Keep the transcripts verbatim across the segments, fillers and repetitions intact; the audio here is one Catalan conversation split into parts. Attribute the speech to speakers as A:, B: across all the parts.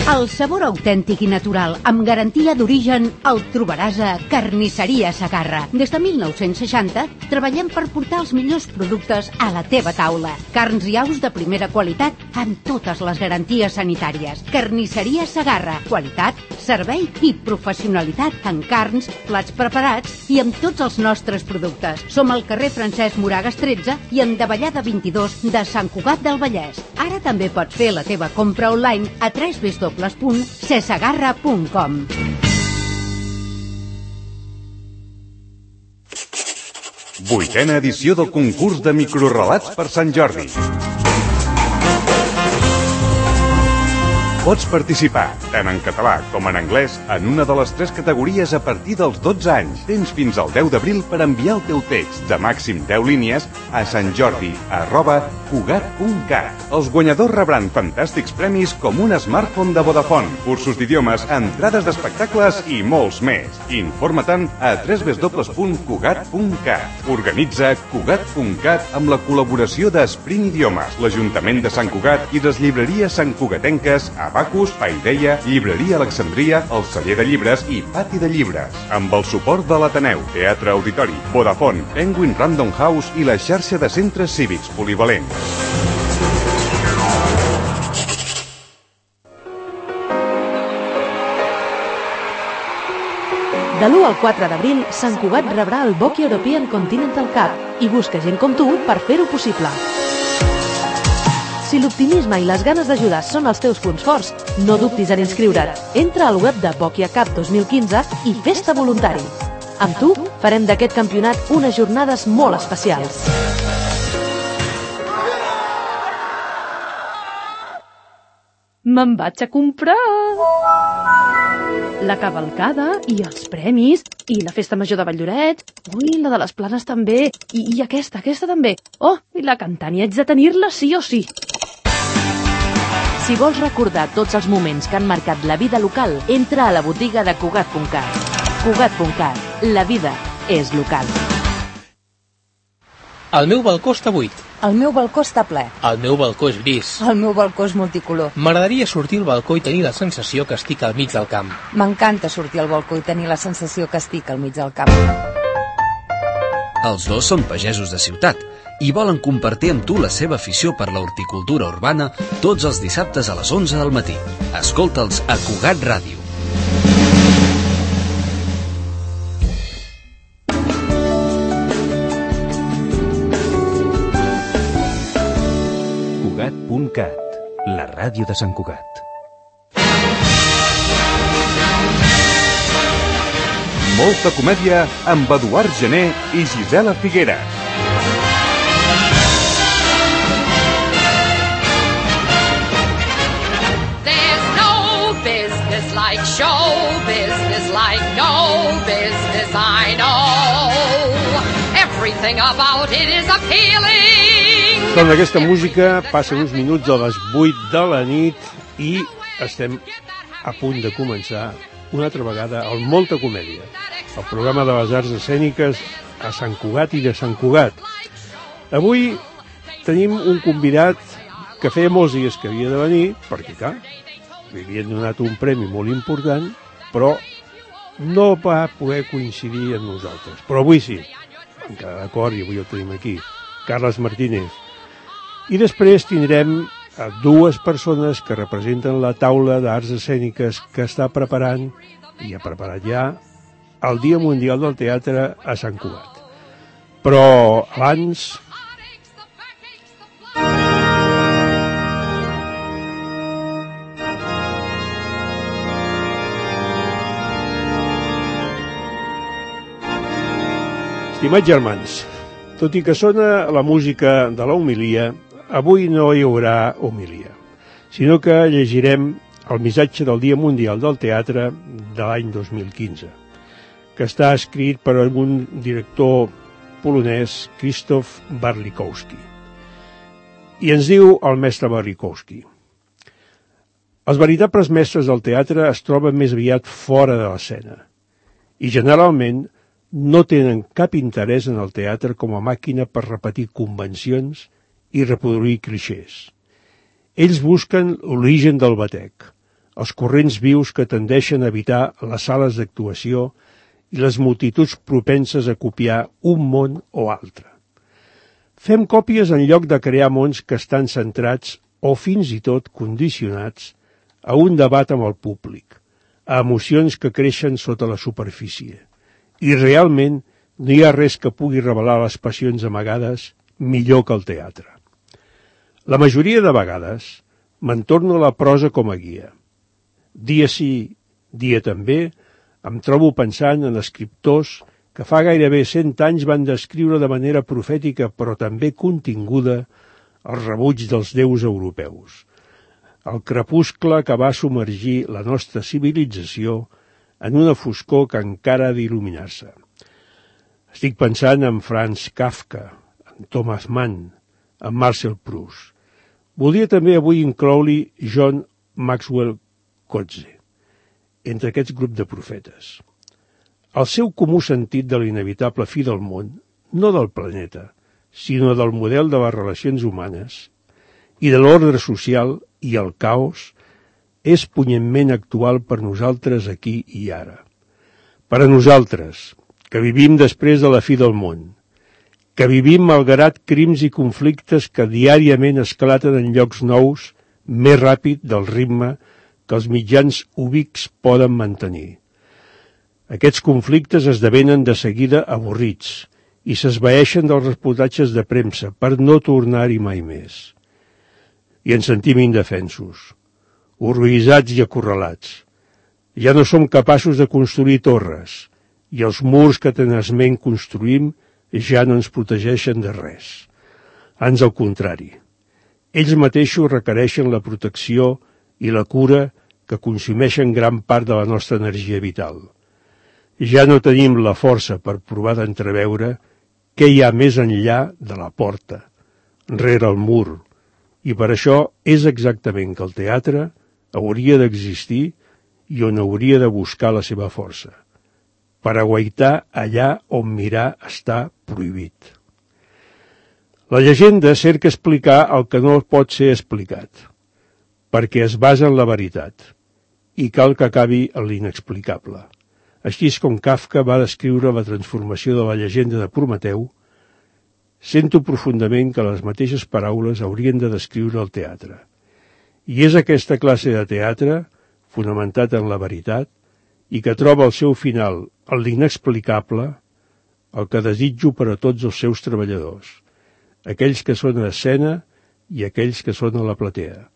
A: El sabor autèntic i natural, amb garantia d'origen, el trobaràs a Carnisseria Segarra. Des de mil nou-cents seixanta treballem per portar els millors productes a la teva taula. Carns i aus de primera qualitat amb totes les garanties sanitàries. Carnisseria Segarra. Qualitat, servei i professionalitat en carns, plats preparats i amb tots els nostres productes. Som al carrer Francesc Moragas tretze i en Davallada vint-i-dos de Sant Cugat del Vallès. Ara també pots fer la teva compra online a w w w punt cesegarra punt com.
B: Vuitena edició del concurs de microrelats per Sant Jordi. Pots participar, tant en català com en anglès, en una de les tres categories a partir dels dotze anys. Tens fins al deu d'abril per enviar el teu text de màxim deu línies a santjordi arroba cugat punt cat. Els guanyadors rebran fantàstics premis com un smartphone de Vodafone, cursos d'idiomes, entrades d'espectacles i molts més. Informa-te'n a w w w punt cugat punt cat. Organitza cugat punt cat amb la col·laboració d'Esprint Idiomes, l'Ajuntament de Sant Cugat i les llibreries santcugatenques Abacus, Paideia, Llibreria Alexandria, el Celler de Llibres i Pati de Llibres. Amb el suport de l'Ateneu, Teatre Auditori, Vodafone, Penguin Random House i la xarxa de centres cívics polivalents.
C: De l'u al quatre d'abril, Sant Cugat rebrà el Boki European Continental Cup i busca gent com tu per fer-ho possible. Si l'optimisme i les ganes d'ajudar són els teus punts forts, no dubtis en inscriure't. Entra al web de Bokia Cup dos mil quinze i fes-te voluntari. Amb tu farem d'aquest campionat unes jornades molt especials. Me'n vaig a comprar! La cavalcada i els premis i la festa major de Valldorets. Ui, la de les Planes també. I, i aquesta, aquesta també. Oh, i la cantant i haig de tenir-la sí o sí. Si vols recordar tots els moments que han marcat la vida local, entra a la botiga de Cugat punt cat. Cugat punt cat. La vida és local.
D: El meu balcó està buit.
E: El meu balcó està ple.
D: El meu balcó és gris.
E: El meu balcó és multicolor.
D: M'agradaria sortir al balcó i tenir la sensació que estic al mig del camp.
E: M'encanta sortir al balcó i tenir la sensació que estic al mig del camp.
F: Els dos són pagesos de ciutat i volen compartir amb tu la seva afició per la horticultura urbana tots els dissabtes a les onze del matí. Escolta'ls a Cugat Ràdio.
G: Cugat punt cat, la ràdio de Sant Cugat.
B: Molta comèdia amb Eduard Gené i Gisela Figueres.
H: There's no business like show business, like no business I know. Everything about it is appealing.
I: Amb aquesta música passen uns minuts a les vuit de la nit i estem a punt de començar una altra vegada el Molta Comèdia, el programa de les arts escèniques a Sant Cugat i de Sant Cugat. Avui tenim un convidat que feia molts dies que havia de venir, perquè clar, li havien donat un premi molt important, però no va poder coincidir amb nosaltres. Però avui sí, vam quedar d'acord i avui el tenim aquí, Carles Martínez. I després tindrem a dues persones que representen la taula d'arts escèniques que està preparant, i ha preparat ja, el Dia Mundial del Teatre a Sant Cugat. Però abans... Estimats germans, tot i que sona la música de la homilia, avui no hi haurà homilia, sinó que llegirem el missatge del Dia Mundial del Teatre de l'any dos mil quinze, que està escrit per un director polonès, Krzysztof Barlikowski. I ens diu el mestre Barlikowski: els veritables mestres del teatre es troben més aviat fora de l'escena i generalment no tenen cap interès en el teatre com a màquina per repetir convencions i reproduir clixés. Ells busquen l'origen del batec, els corrents vius que tendeixen a evitar les sales d'actuació i les multituds propenses a copiar un món o altre. Fem còpies en lloc de crear mons que estan centrats o fins i tot condicionats a un debat amb el públic, a emocions que creixen sota la superfície. I realment no hi ha res que pugui revelar les passions amagades millor que el teatre. La majoria de vegades me'n torno a la prosa com a guia. Dia sí, dia també, em trobo pensant en escriptors que fa gairebé cent anys van descriure de manera profètica però també continguda el rebuig dels déus europeus, el crepuscle que va submergir la nostra civilització en una foscor que encara ha d'il·luminar-se. Estic pensant en Franz Kafka, en Thomas Mann, en Marcel Proust. Voldria també avui incloure-hi John Maxwell Coetzee, entre aquests grups de profetes. El seu comú sentit de l'inevitable fi del món, no del planeta, sinó del model de les relacions humanes i de l'ordre social i el caos, és punyentment actual per nosaltres aquí i ara. Per a nosaltres, que vivim després de la fi del món, que vivim malgrat crims i conflictes que diàriament esclaten en llocs nous més ràpid del ritme que els mitjans ubics poden mantenir. Aquests conflictes esdevenen de seguida avorrits i s'esvaeixen dels reportatges de premsa per no tornar-hi mai més. I ens sentim indefensos, horroritzats i acorralats. Ja no som capaços de construir torres i els murs que tenaçment construïm ja no ens protegeixen de res. Ans al contrari, ells mateixos requereixen la protecció i la cura que consumeixen gran part de la nostra energia vital. Ja no tenim la força per provar d'entreveure què hi ha més enllà de la porta, rere el mur, i per això és exactament que el teatre hauria d'existir i on hauria de buscar la seva força, per aguaitar allà on mirar està prohibit. La llegenda cerca explicar el que no pot ser explicat, perquè es basa en la veritat, i cal que acabi en l'inexplicable. Així és com Kafka va descriure la transformació de la llegenda de Prometeu, sento profundament que les mateixes paraules haurien de descriure el teatre. I és aquesta classe de teatre, fonamentat en la veritat, i que troba el seu final en l'inexplicable, el que desitjo per a tots els seus treballadors, aquells que són a escena i aquells que són a la platea.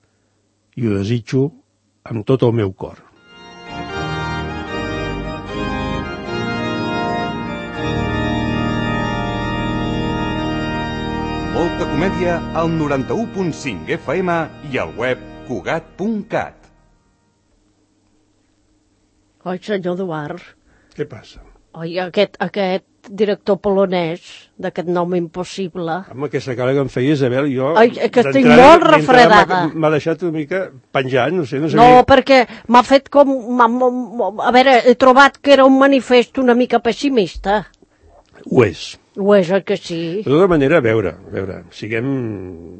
I: I ho desitjo amb tot el meu cor.
B: Molta comèdia al noranta-u punt cinc F M i al web cugat punt cat.
J: Oi, senyor Eduard.
I: Què passa?
J: Oi, aquest, aquest director polonès d'aquest nom impossible.
I: Home, aquesta cara que em feia Isabel, jo...
J: Ai, que estic molt refredada.
I: M'ha deixat una mica penjant, no sé, no sé.
J: No, perquè m'ha fet com... A veure, he trobat que era un manifest una mica pessimista.
I: Ho és.
J: Ho és, oi que sí?
I: De tota manera, a veure, a veure, siguem,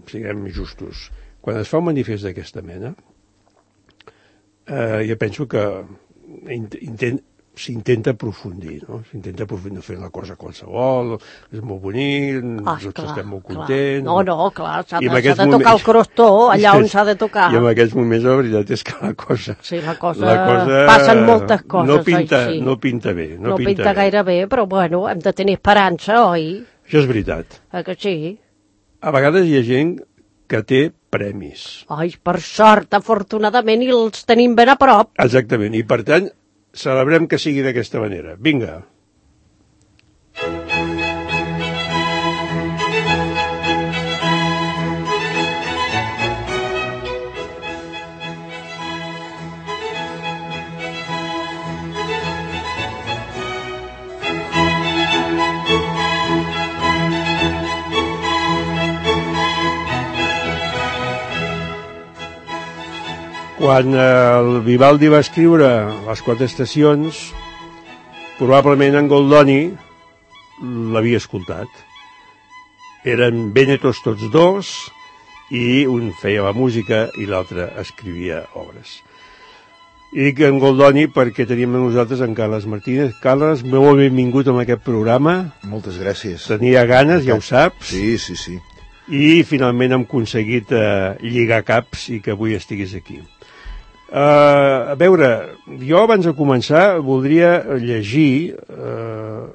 I: siguem justos. Quan es fa un manifest d'aquesta mena, eh, jo penso que intent, s'intenta aprofundir, no? S'intenta aprofundir, fer una cosa qualsevol, és molt bonic, ah, tots clar, estem molt contents...
J: Clar. No, no, clar, s'ha de, de tocar moments, el crostó allà on s'ha de tocar.
I: I en aquests moments la veritat és que la cosa...
J: Sí, la cosa... La cosa passen moltes coses,
I: no pinta,
J: oi, sí.
I: No pinta bé. No,
J: no
I: pinta,
J: pinta
I: bé.
J: gaire bé, però bueno, hem de tenir esperança, oi?
I: Això és veritat.
J: Eh que sí?
I: A vegades hi ha gent que té premis.
J: Ai, per sort, afortunadament, i els tenim ben a prop.
I: Exactament, i per tant... celebrem que sigui d'aquesta manera. Vinga. Quan el Vivaldi va escriure Les quatre estacions, probablement en Goldoni l'havia escoltat. Eren Vènetos tots dos, i un feia la música i l'altre escrivia obres. I dic en Goldoni perquè teníem amb nosaltres en Carles Martínez. Carles, molt benvingut en aquest programa.
K: Moltes gràcies.
I: Tenia ganes, ja ho saps.
K: Sí, sí, sí.
I: I finalment hem aconseguit eh, lligar caps i que avui estiguis aquí. Uh, a veure, jo abans de començar voldria llegir uh,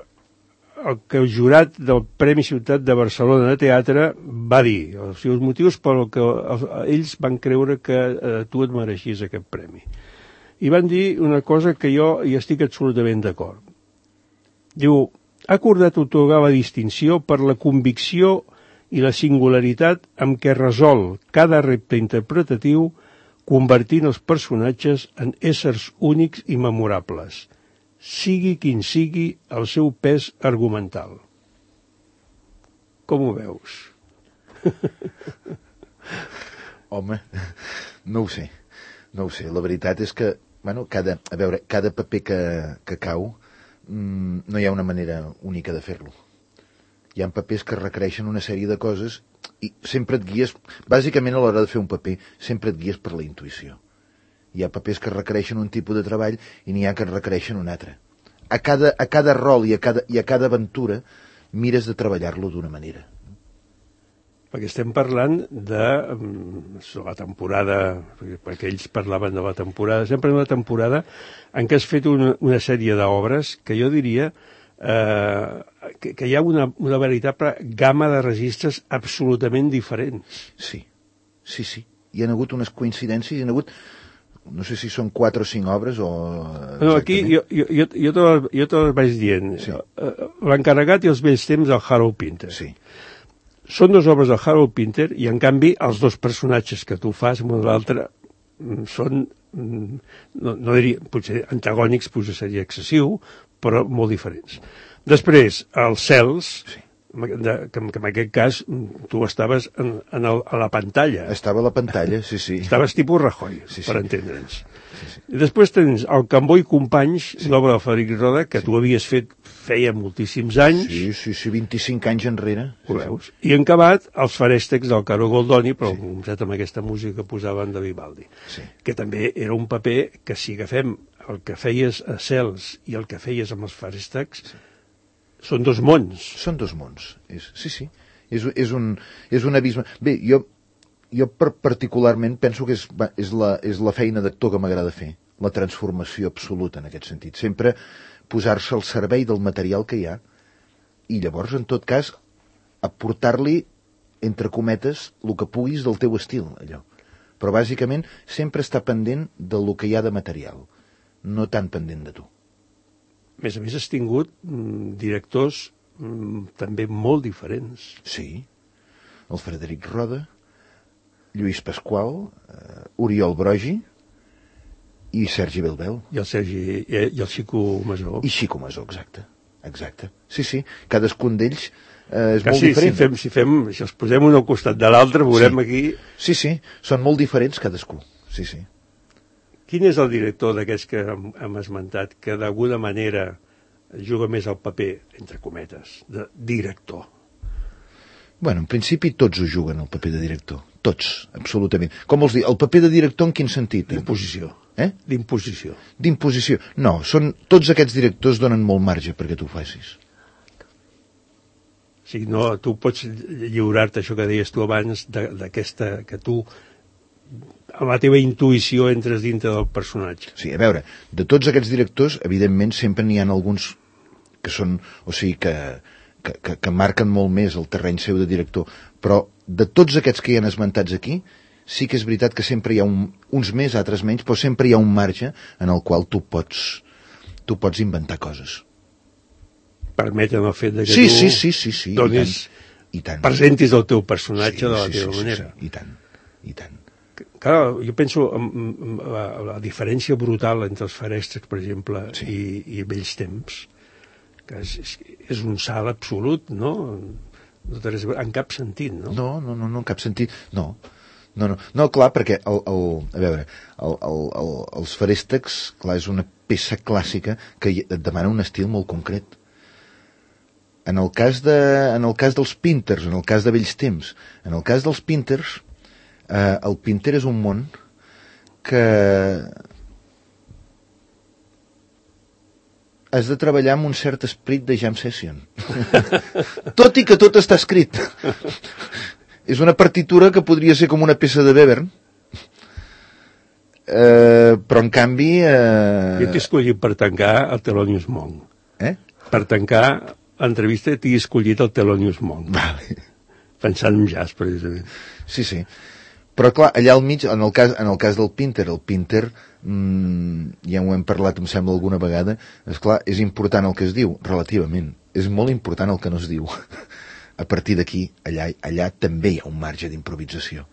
I: el que el jurat del Premi Ciutat de Barcelona de Teatre va dir, els seus motius pel que els, ells van creure que uh, tu et mereixies aquest premi. I van dir una cosa que jo hi estic absolutament d'acord. Diu, ha acordat atorgar la distinció per la convicció i la singularitat amb què resol cada repte interpretatiu, convertint els personatges en éssers únics i memorables, sigui quin sigui el seu pes argumental. Com ho veus?
K: Home, no ho sé, no ho sé. La veritat és que, bueno, cada, a veure, cada paper que, que cau, mmm, no hi ha una manera única de fer-lo. Hi ha papers que requereixen una sèrie de coses i sempre et guies, bàsicament a l'hora de fer un paper, sempre et guies per la intuïció. Hi ha papers que requereixen un tipus de treball i n'hi ha que requereixen un altre. A cada, a cada rol i a cada, i a cada aventura mires de treballar-lo d'una manera.
I: Perquè estem parlant de la temporada, perquè ells parlaven de la temporada, sempre una temporada en què has fet una, una sèrie d'obres que jo diria eh, que, que hi ha una, una veritable gamma de registres absolutament diferents.
K: Sí, sí, sí. Hi ha hagut unes coincidències, hi ha hagut, no sé si són quatre o cinc obres o...
I: No, aquí jo, jo, jo, jo, te, jo te les vaig dient. Sí. L'encarregat i els vells temps del Harold Pinter.
K: Sí.
I: Són dues obres del Harold Pinter i, en canvi, els dos personatges que tu fas, un o l'altre, són, no, no diria, potser antagònics, potser seria excessiu, però molt diferents. Després, els cels, sí. de, que, que en aquest cas tu estaves en, en el, a la pantalla.
K: Estava a la pantalla, sí, sí.
I: Estaves tipus Rajoy, sí, per
K: sí.
I: entendre'ns.
K: Sí, sí.
I: I després tens el Cambó i Companys, sí. l'obra de Frederic Roda, que sí. tu havies fet feia moltíssims anys.
K: Sí, sí, sí, vint-i-cinc anys enrere.
I: Ho veus? I en acabat, els farèstecs del Caro Goldoni, però sí. comptat amb aquesta música que posaven de Vivaldi.
K: Sí.
I: Que també era un paper que, si agafem el que feies a Cels i el que feies amb els farèstecs, sí. són dos mons.
K: Són dos mons, és, sí, sí. És, és, un, és un abisme. Bé, jo, jo particularment penso que és, és, la, és la feina d'actor que m'agrada fer, la transformació absoluta en aquest sentit. Sempre posar-se al servei del material que hi ha i llavors, en tot cas, aportar-li, entre cometes, el que puguis del teu estil, allò. Però, bàsicament, sempre està pendent del que hi ha de material, no tan pendent de tu.
I: A més a més, has tingut mm, directors mm, també molt diferents.
K: Sí. El Frederic Roda, Lluís Pasqual, eh, Oriol Brogi i Sergi Belbel.
I: I el Sergi, i, i el Xico Masó.
K: I Xico Masó, exacte. Exacte. Sí, sí, cadascun d'ells eh, és
I: que
K: molt
I: sí,
K: diferent.
I: Si, fem, si, fem, si els posem un al costat de l'altre, veurem
K: sí.
I: aquí...
K: Sí, sí, són molt diferents cadascú. Sí, sí.
I: Quin és el director d'aquests que hem, hem esmentat que d'alguna manera juga més al paper, entre cometes, de director?
K: Bueno, en principi tots ho juguen, el paper de director. Tots, absolutament. Com vols dir, el paper de director en quin sentit?
I: D'imposició.
K: Eh?
I: D'imposició.
K: D'imposició. No, són, tots aquests directors donen molt marge perquè tu ho facis.
I: O sigui, no, tu pots lliurar-te, això que deies tu abans, d'aquesta, que tu, amb la teva intuïció, entres dintre del personatge.
K: Sí, a veure, de tots aquests directors, evidentment, sempre n'hi ha alguns que són, o sigui, que, que, que, que marquen molt més el terreny seu de director, però de tots aquests que hi han esmentats aquí, sí que és veritat que sempre hi ha un, uns més, altres menys, però sempre hi ha un marge en el qual tu pots, tu pots inventar coses.
I: Permeten el fet de que
K: sí,
I: tu
K: sí, sí, sí, sí,
I: donis,
K: i tant, i tant.
I: presentis el teu personatge
K: sí,
I: de la
K: sí,
I: teva
K: sí,
I: manera.
K: Sí, sí, i tant, i tant.
I: Clar, jo penso en, en la, la diferència brutal entre els farèstecs, per exemple, sí. i, i vells temps, que és, és, és un salt absolut, no? En cap sentit, no?
K: No, no, no, no en cap sentit, no. No, no, no, clar, perquè el, el, a veure, el, el, el, els farèstecs, clar, és una peça clàssica que et demana un estil molt concret. En el cas de, en el cas dels Pinters, en el cas de vells temps, en el cas dels Pinters, eh, el Pinter és un món que has de treballar amb un cert esperit de jam session. Tot i que tot està escrit. És una partitura que podria ser com una peça de Webern, eh, però en canvi... Eh...
I: Jo t'he escollit per tancar el Thelonious Monk.
K: Eh?
I: Per tancar l'entrevista t'he escollit el Thelonious Monk.
K: Vale.
I: Pensant en jazz, precisament.
K: Sí, sí. Però clar, allà al mig, en el cas, en el cas del Pinter, el Pinter, mmm, ja ho hem parlat, em sembla, alguna vegada, és clar, és important el que es diu, relativament. És molt important el que no es diu. A partir d'aquí, allà, allà també hi ha un marge d'improvisació.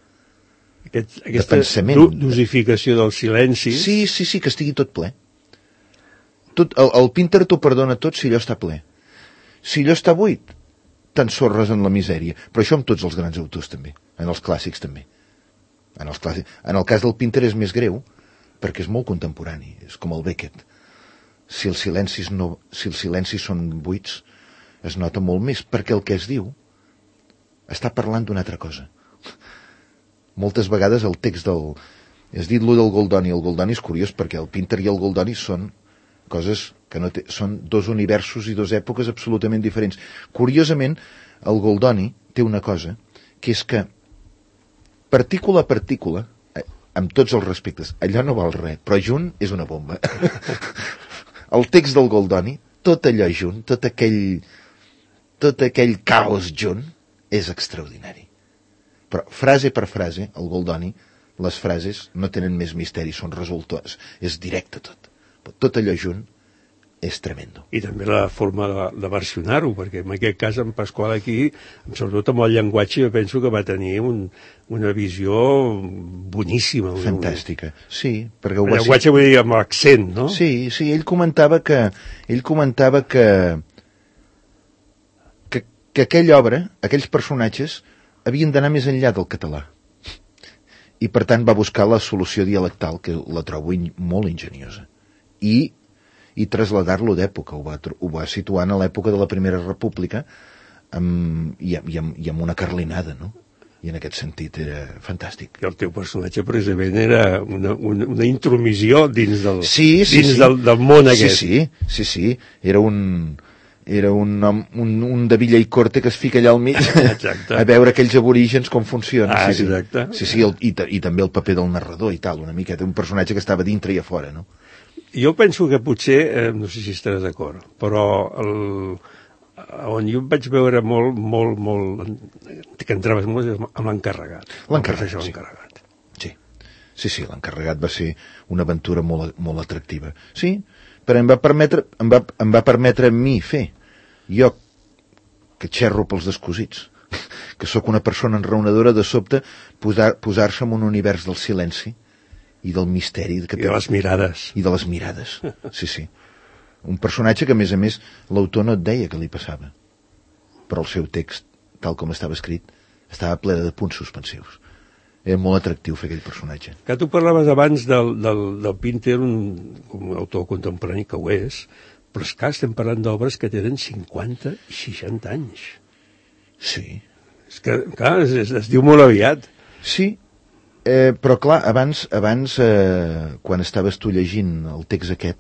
I: Aquest, aquesta do, dosificació del silenci...
K: Sí, sí, sí, que estigui tot ple. Tot, el, el Pinter t'ho perdona tot si allò està ple. Si allò està buit, t'ensorres en la misèria. Però això amb tots els grans autors també, en els clàssics també. En, els clàssics. En el cas del Pinter és més greu, perquè és molt contemporani, és com el Beckett. Si els silencis, no, si els silencis són buits, es nota molt més, perquè el que es diu està parlant d'una altra cosa. Moltes vegades el text del... Has dit lo del Goldoni. El Goldoni és curiós perquè el Pinter i el Goldoni són coses que no té... són dos universos i dues èpoques absolutament diferents. Curiosament, el Goldoni té una cosa, que és que partícula a partícula, amb tots els respectes, allò no val res, però junt és una bomba. El text del Goldoni, tot allò junt, tot aquell, tot aquell caos junt, és extraordinari. Però frase per frase, el Goldoni, les frases no tenen més misteri, són resultats, és directe tot. Tot allò junt és tremendo.
I: I també la forma de, de versionar-ho, perquè en aquest cas en Pasqual aquí, sobretot amb el llenguatge, jo penso que va tenir un, una visió boníssima.
K: Fantàstica, sí. Perquè ho
I: el llenguatge, vull dir, amb l'accent, no?
K: Sí, sí, ell comentava que ell comentava que que, que aquella obra, aquells personatges, havien d'anar més enllà del català. I per tant va buscar la solució dialectal, que la trobo in, molt enginyosa. I i traslladar-lo d'època, ho va, ho va situar a l'època de la Primera República amb, i, i, amb, i amb una carlinada, no? I en aquest sentit era fantàstic.
I: I el teu personatge precisament era una, una, una intromissió dins del,
K: sí, sí,
I: dins
K: sí.
I: Del, del món aquest.
K: Sí, sí, sí, sí. Era un, era un, un, un de Villa i Corte que es fica allà al mig a veure aquells aborígens com funcionen.
I: Ah,
K: sí,
I: exacte.
K: Sí, sí, el, i, i també el paper del narrador i tal, una miqueta, un personatge que estava dintre i a fora, no?
I: Jo penso que potser, eh, no sé si estaràs d'acord, però el, on jo em vaig veure molt, molt, molt, que entraves molt amb l'encarregat.
K: L'encarregat, sí. sí. Sí, sí, l'encarregat va ser una aventura molt, molt atractiva. Sí, però em va permetre, em va, em va permetre a mi fer. Jo, que xerro pels descosits, que sóc una persona enraonadora, de sobte posar, posar-se en un univers del silenci i del misteri.
I: Que I de les mirades.
K: I de les mirades, sí, sí. Un personatge que, a més a més, l'autor no et deia que li passava. Però el seu text, tal com estava escrit, estava ple de punts suspensius. Era molt atractiu fer aquell personatge.
I: Que tu parlaves abans del, del, del Pinter, un, un autor contemporani que ho és, però és que estem parlant d'obres que tenen cinquanta i seixanta anys.
K: Sí.
I: És que, clar, es, es, es diu molt aviat.
K: Sí. Eh, però clar, abans, abans eh, quan estaves tu llegint el text aquest,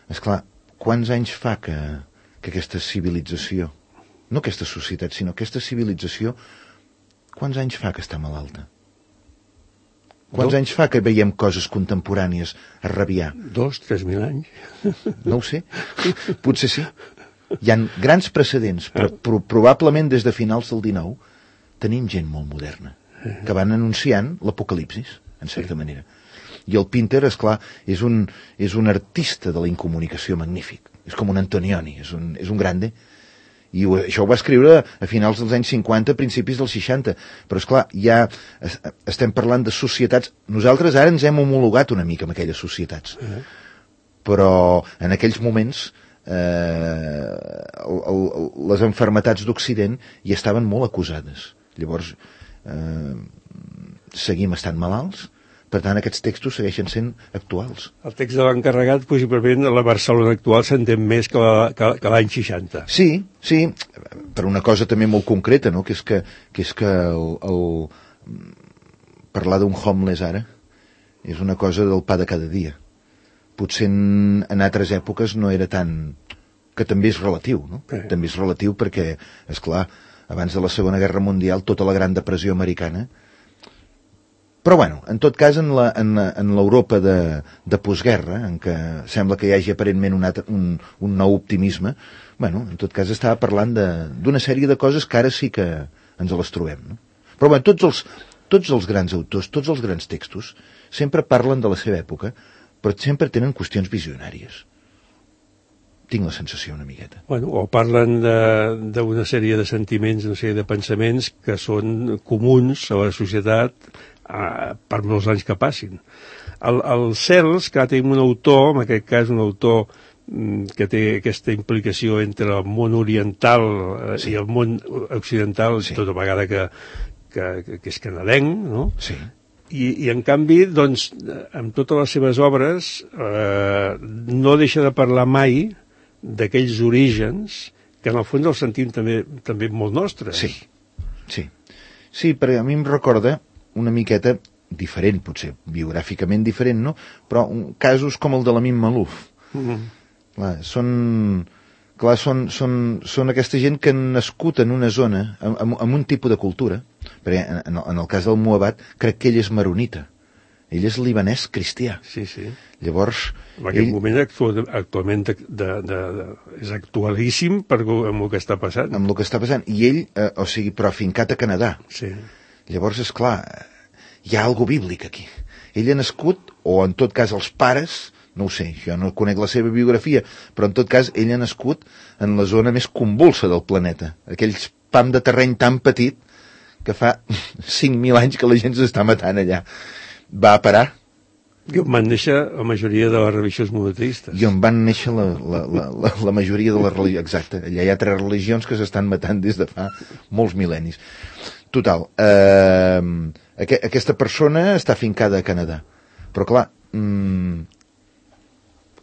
K: esclar, quants anys fa que, que aquesta civilització, no aquesta societat, sinó aquesta civilització, quants anys fa que està malalta? Quants
I: Dos?
K: anys fa que veiem coses contemporànies a rabiar?
I: Dos, tres mil anys.
K: No ho sé, potser sí. Hi ha grans precedents, però pro probablement des de finals del dinou tenim gent molt moderna que van anunciant l'apocalipsis, en certa sí. manera. I el Pinter, esclar, és un, és un artista de la incomunicació magnífic. És com un Antonioni, és un, és un grande. I ho, això ho va escriure a finals dels anys cinquanta, principis dels seixanta. Però, esclar, ja es, estem parlant de societats... Nosaltres ara ens hem homologat una mica amb aquelles societats. Uh-huh. Però en aquells moments eh, el, el, les enfermetats d'Occident ja estaven molt acusades. Llavors... Eh, seguim estant malalts, per tant aquests textos segueixen sent actuals.
I: El text de l'encarregat, possiblement la Barcelona actual s'entén més que l'any seixanta.
K: Sí, sí, per una cosa també molt concreta, no? que és que, que, és que el, el, parlar d'un homeless ara és una cosa del pa de cada dia. Potser en, en altres èpoques no era tan, que també és relatiu, no? Eh. També és relatiu perquè, és clar, abans de la Segona Guerra Mundial, tota la Gran Depressió americana. Però, bueno, en tot cas, en la, en, en l'Europa de, de postguerra, en què sembla que hi hagi aparentment un, altre, un, un nou optimisme, bueno, en tot cas estava parlant d'una sèrie de coses que ara sí que ens les trobem, no? Però, bueno, tots els, tots els grans autors, tots els grans textos, sempre parlen de la seva època, però sempre tenen qüestions visionàries. Tinc la sensació una miqueta.
I: Bueno, o parlen d'una sèrie de sentiments, una sèrie de pensaments que són comuns a la societat eh, per molts anys que passin. El, el Cels, que tenim un autor, en aquest cas un autor mm, que té aquesta implicació entre el món oriental eh, sí. i el món occidental, sí. tota vegada que, que, que és canadenc, no?
K: Sí.
I: I, i en canvi, doncs, amb totes les seves obres eh, no deixa de parlar mai d'aquells orígens que en el fons els sentim també, també molt nostres.
K: Sí, sí. Sí, perquè a mi em recorda una miqueta diferent, potser, biogràficament diferent, no? Però un, casos com el de l'Amin Malouf. Mm-hmm. Clar, són, clar, són, són, són aquesta gent que han nascut en una zona, amb, amb un tipus de cultura, perquè en, en el cas del Muabat crec que ell és maronita. Ell és libanès cristià.
I: Sí, sí.
K: Llavors...
I: En aquest
K: ell...
I: moment actual, actualment de, de, de, de, és actualíssim per, amb el que està passant.
K: Amb el que està passant. I ell, eh, o sigui, però afincat a Canadà.
I: Sí.
K: Llavors, és clar, hi ha algo bíblic aquí. Ell ha nascut, o en tot cas els pares, no ho sé, jo no conec la seva biografia, però en tot cas ell ha nascut en la zona més convulsa del planeta. Aquells pam de terreny tan petit que fa cinc mil anys que la gent s'està matant allà. Va parar.
I: I on van néixer la majoria de les religions monoteistes.
K: I on van néixer la, la, la, la, la majoria de les religions. Exacte. Allà hi ha tres religions que s'estan matant des de fa molts mil·lennis. Total. Eh, aqu aquesta persona està afincada a Canadà. Però clar, mm,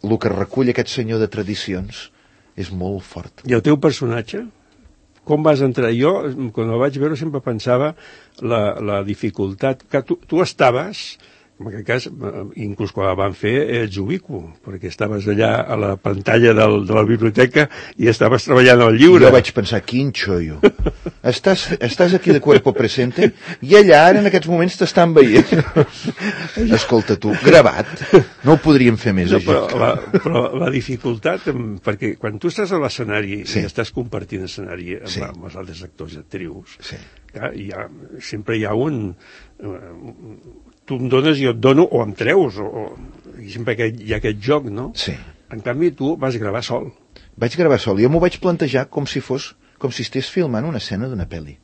K: el que recull aquest senyor de tradicions és molt fort.
I: I el teu personatge? Com vas entrar? Jo, quan el vaig veure, sempre pensava la, la dificultat... que tu, tu estaves, en aquest cas, inclús quan la van fer, ets ubicu, perquè estaves allà a la pantalla del, de la biblioteca i estaves treballant al llibre.
K: Jo vaig pensar, quin xollo. Estàs, estàs aquí de cuerpo presente i allà ara en aquests moments t'estan veient. Escolta tu, gravat. No ho podríem fer més,
I: no,
K: això.
I: Però la, però la dificultat, perquè quan tu estàs a l'escenari sí. i estàs compartint escenari amb, sí. amb els altres actors i actrius,
K: sí.
I: ja, hi ha, sempre hi ha un... Uh, tu em dones i jo et dono, o em treus, o, o, i sempre que hi ha aquest joc, no?
K: Sí.
I: En canvi, tu vas gravar sol.
K: Vaig gravar sol. Jo m'ho vaig plantejar com si fos, com si estigués filmant una escena d'una pel·li.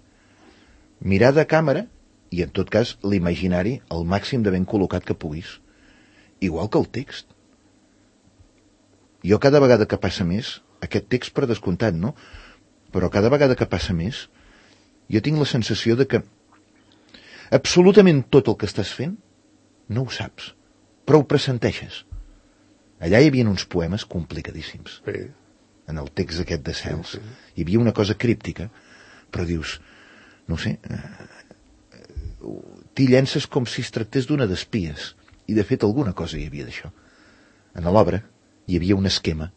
K: Mirar de càmera, i en tot cas, l'imaginari al màxim de ben col·locat que puguis. Igual que el text. Jo cada vegada que passa més, aquest text per descomptat, no? Però cada vegada que passa més, jo tinc la sensació de que absolutament tot el que estàs fent no ho saps, però ho pressenteixes. Allà hi havia uns poemes complicadíssims.
I: Sí.
K: En el text aquest de Cels.
I: Sí, sí.
K: Hi havia una cosa críptica, però dius, no sé, eh, t'hi llences com si es tractés d'una d'espies. I de fet alguna cosa hi havia d'això. En l'obra hi havia un esquema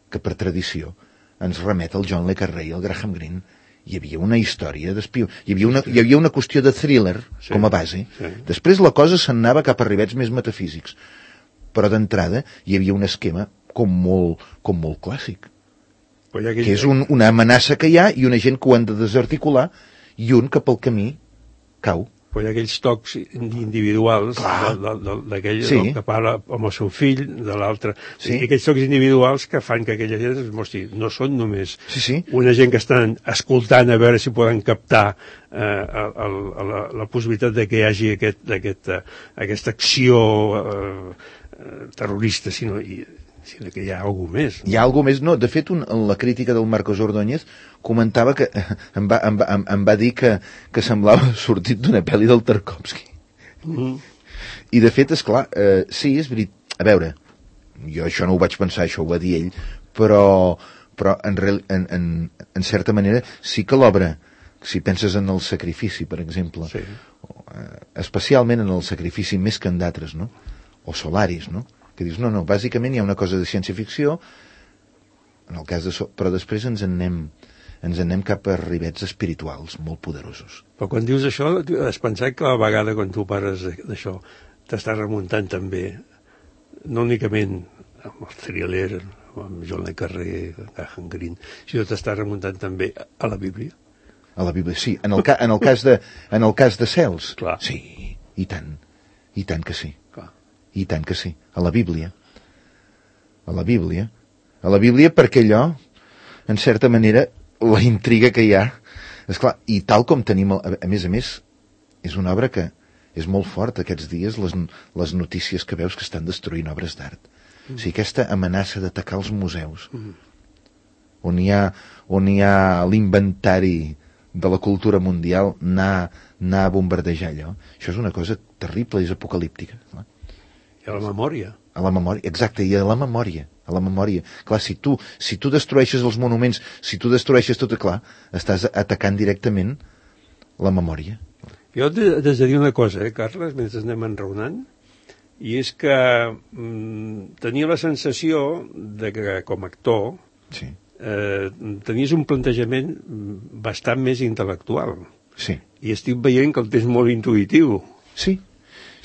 K: que per tradició ens remet al John le Carré i al Graham Greene. Hi havia una història d'espió, hi havia una, hi havia una qüestió de thriller sí, com a base.
I: Sí.
K: Després la cosa s'anava cap a rivets més metafísics, però d'entrada hi havia un esquema com molt, com molt clàssic,
I: aquell...
K: que és un, una amenaça que hi ha i una gent que ho han de desarticular i un que pel camí cau.
I: Però hi ha aquells tocs individuals d'aquell
K: sí.
I: que parla amb el seu fill, de l'altre,
K: sí.
I: i aquells tocs individuals que fan que aquella gent es mostri, no són només
K: sí, sí.
I: una gent que estan escoltant a veure si poden captar eh, el, el, la, la possibilitat de que hi hagi aquest, aquest, uh, aquesta acció uh, terrorista, sinó, i, sinó que hi ha alguna més.
K: No? Hi ha alguna més, no. De fet, un, la crítica del Marcos Ordóñez comentava que em va, em va, em va dir que, que semblava sortit d'una pel·li del Tarkovsky. Mm. I de fet, esclar, eh, sí, és veritat. A veure, jo això no ho vaig pensar, això ho va dir ell, però, però en, real, en, en, en certa manera sí que l'obra, si penses en el sacrifici, per exemple,
I: sí.
K: o, eh, especialment en el sacrifici més que en d'altres, no? O Solaris, no? Que dius, no, no, bàsicament hi ha una cosa de ciència-ficció en el cas de so, però després ens en anem ens anem cap a rivets espirituals molt poderosos.
I: Però quan dius això, has pensat que a la vegada quan tu pares d'això t'estàs remuntant també, no únicament amb el thriller, amb John le Carré, Graham Greene, sinó t'estàs remuntant també a la Bíblia?
K: A la Bíblia, sí. En el, ca, en el, cas, de, en el cas de Cels,
I: clar.
K: Sí, i tant, i tant que sí.
I: Clar.
K: I tant que sí. A la Bíblia. A la Bíblia. A la Bíblia perquè allò, en certa manera, la intriga que hi ha, esclar, i tal com tenim, a, a més a més, és una obra que és molt forta aquests dies, les, les notícies que veus que estan destruint obres d'art. Mm. O sigui, aquesta amenaça d'atacar els museus, mm. on hi ha, on hi ha l'inventari de la cultura mundial, anar, anar a bombardejar allò. Això és una cosa terrible, és apocalíptica. Clar.
I: I a la memòria.
K: A la memòria, exacte, i a la memòria. A la memòria. Clar, si tu, si tu destrueixes els monuments, si tu destrueixes tot, clar, estàs atacant directament la memòria.
I: Jo t'he de dir una cosa, eh, Carles, mentre anem enraonant, i és que mm, tenia la sensació de que, com a actor,
K: sí.
I: eh, tenies un plantejament bastant més intel·lectual.
K: Sí.
I: I estic veient que el tens molt intuïtiu.
K: Sí,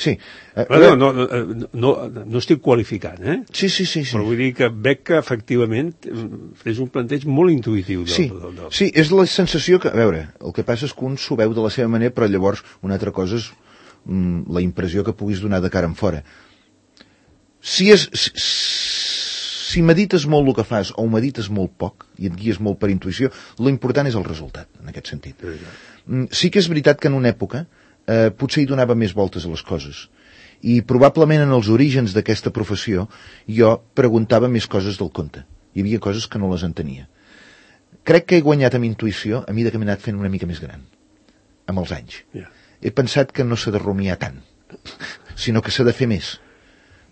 K: sí. Uh,
I: no, no, no, no, no estic qualificant, eh?
K: Sí, sí, sí, sí.
I: Però vull dir que veig que, efectivament, és un planteig molt intuïtiu. Del,
K: sí,
I: del, del...
K: sí, és la sensació que, a veure, el que passa és que un s'ho veu de la seva manera, però llavors una altra cosa és mm, la impressió que puguis donar de cara en fora. Si és... Si, si medites molt el que fas o ho medites molt poc i et guies molt per intuïció, l'important és el resultat, en aquest sentit. Sí, sí que és veritat que en una època eh, potser hi donava més voltes a les coses. I probablement en els orígens d'aquesta professió jo preguntava més coses del compte. Hi havia coses que no les entenia. Crec que he guanyat amb intuïció a mesura que m'he anat fent una mica més gran, amb els anys. Yeah. He pensat que no s'ha de rumiar tant, sinó que s'ha de fer més.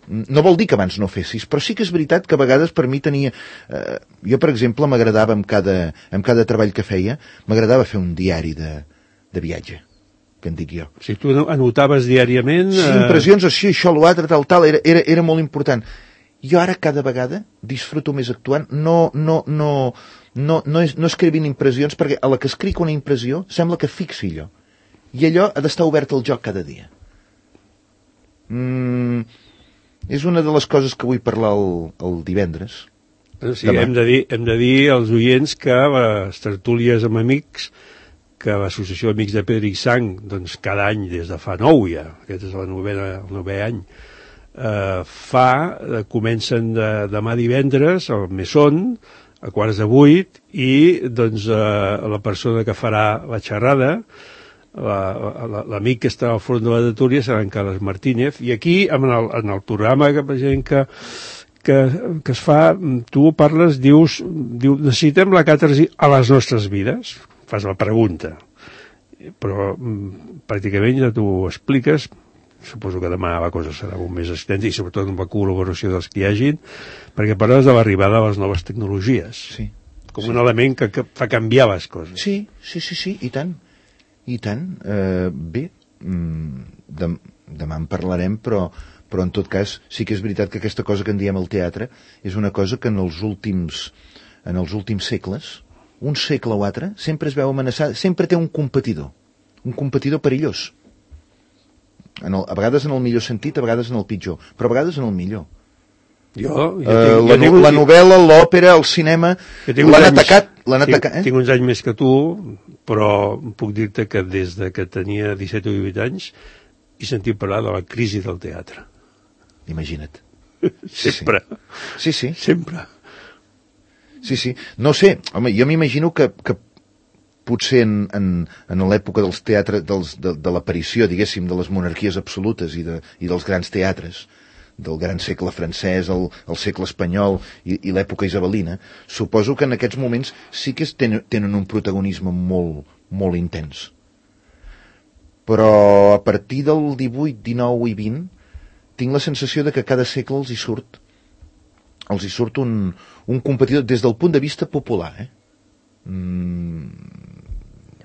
K: No vol dir que abans no fessis, però sí que és veritat que a vegades per mi tenia... Eh, jo, per exemple, m'agradava amb cada, amb cada treball que feia, m'agradava fer un diari de, de viatge, que en dic jo.
I: O sigui, tu anotaves diàriament...
K: Sí, impressions, així, això, l'altre, tal, tal, era, era, era molt important. Jo ara cada vegada disfruto més actuant, no, no, no, no, no, és, no escrivint impressions, perquè a la que escric una impressió sembla que fixi allò. I allò ha d'estar obert al joc cada dia. Mm... És una de les coses que vull parlar el, el divendres.
I: Sí, hem de, dir, hem de dir als oients que les tertúlies amb amics, que l'Associació d'Amics de Pedra i Sang, doncs cada any, des de fa nou ja, aquest és la novena, el novè any, eh, fa, eh, comencen de, demà divendres, al Mesón, a quarts de vuit, i doncs eh, la persona que farà la xerrada, l'amic la, la, que està al front de la tertúlia serà en Carles Martínez, i aquí en el, en el programa que, que, que, que es fa, tu parles, dius, diu, necessitem la càtarsi a les nostres vides, fas la pregunta, però pràcticament ja tu ho expliques. Suposo que demà la cosa serà molt més extensa i sobretot amb la col·laboració dels que hi hagin, perquè parles de l'arribada de les noves tecnologies,
K: sí,
I: com
K: sí.
I: un element que, que fa canviar les coses.
K: Sí, sí, sí, sí, i tant. I tant, eh, bé, de, demà en parlarem, però, però en tot cas sí que és veritat que aquesta cosa que en diem el teatre és una cosa que en els últims, en els últims segles, un segle o altre, sempre es veu amenaçada, sempre té un competidor, un competidor perillós. En el, a vegades en el millor sentit, a vegades en el pitjor, però a vegades en el millor.
I: Jo, jo tinc,
K: uh,
I: jo
K: la,
I: tinc,
K: la novel·la, l'òpera, el cinema, l'han atacat, l'han atacat, eh?
I: Tinc uns anys més que tu, però puc dir-te que des de que tenia disset o divuit anys he sentit parlar de la crisi del teatre.
K: Imagina't.
I: Sempre.
K: Sí, sí.
I: Sempre.
K: Sí, sí. No sé, home, jo m'imagino que, que potser en, en, en l'època dels teatres, dels, de, de l'aparició, diguéssim, de les monarquies absolutes i, de, i dels grans teatres, del gran segle francès, el, el segle espanyol i, i l'època isabelina, suposo que en aquests moments sí que tenen, tenen un protagonisme molt, molt intens. Però a partir del divuit, dinou i vint tinc la sensació de que cada segle els hi surt els hi surt un, un competidor des del punt de vista popular, eh? Mm...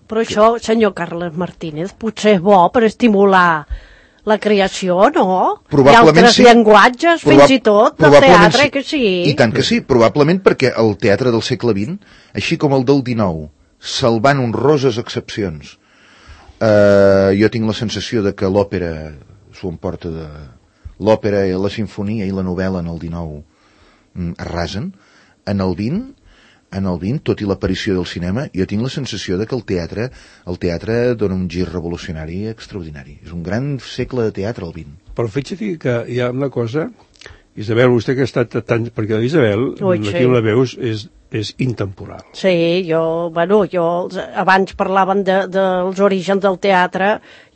J: Però això, senyor Carles Martínez, potser és bo per estimular la creació, no?
K: Probablement
J: I altres
K: sí.
J: llenguatges,
K: Proba-
J: fins i tot, del
K: probablement
J: teatre,
K: sí.
J: que sí.
K: I tant que sí, probablement perquè el teatre del segle vint, així com el del dinou, salvant honroses excepcions, eh, jo tinc la sensació de que l'òpera s'ho emporta de... L'òpera, la sinfonia i la novel·la en el dinou mm, arrasen. En el vint, en el vint, tot i l'aparició del cinema, jo tinc la sensació de que el teatre, el teatre dona un gir revolucionari extraordinari. És un gran segle de teatre, el vint.
I: Però fixa't que hi ha una cosa, Isabel, vostè que ha estat tant... Perquè l'Isabel,
J: Ui,
I: aquí
J: sí.
I: la veus, és, és intemporal.
J: Sí, jo, bueno, jo abans parlaven de, dels orígens del teatre,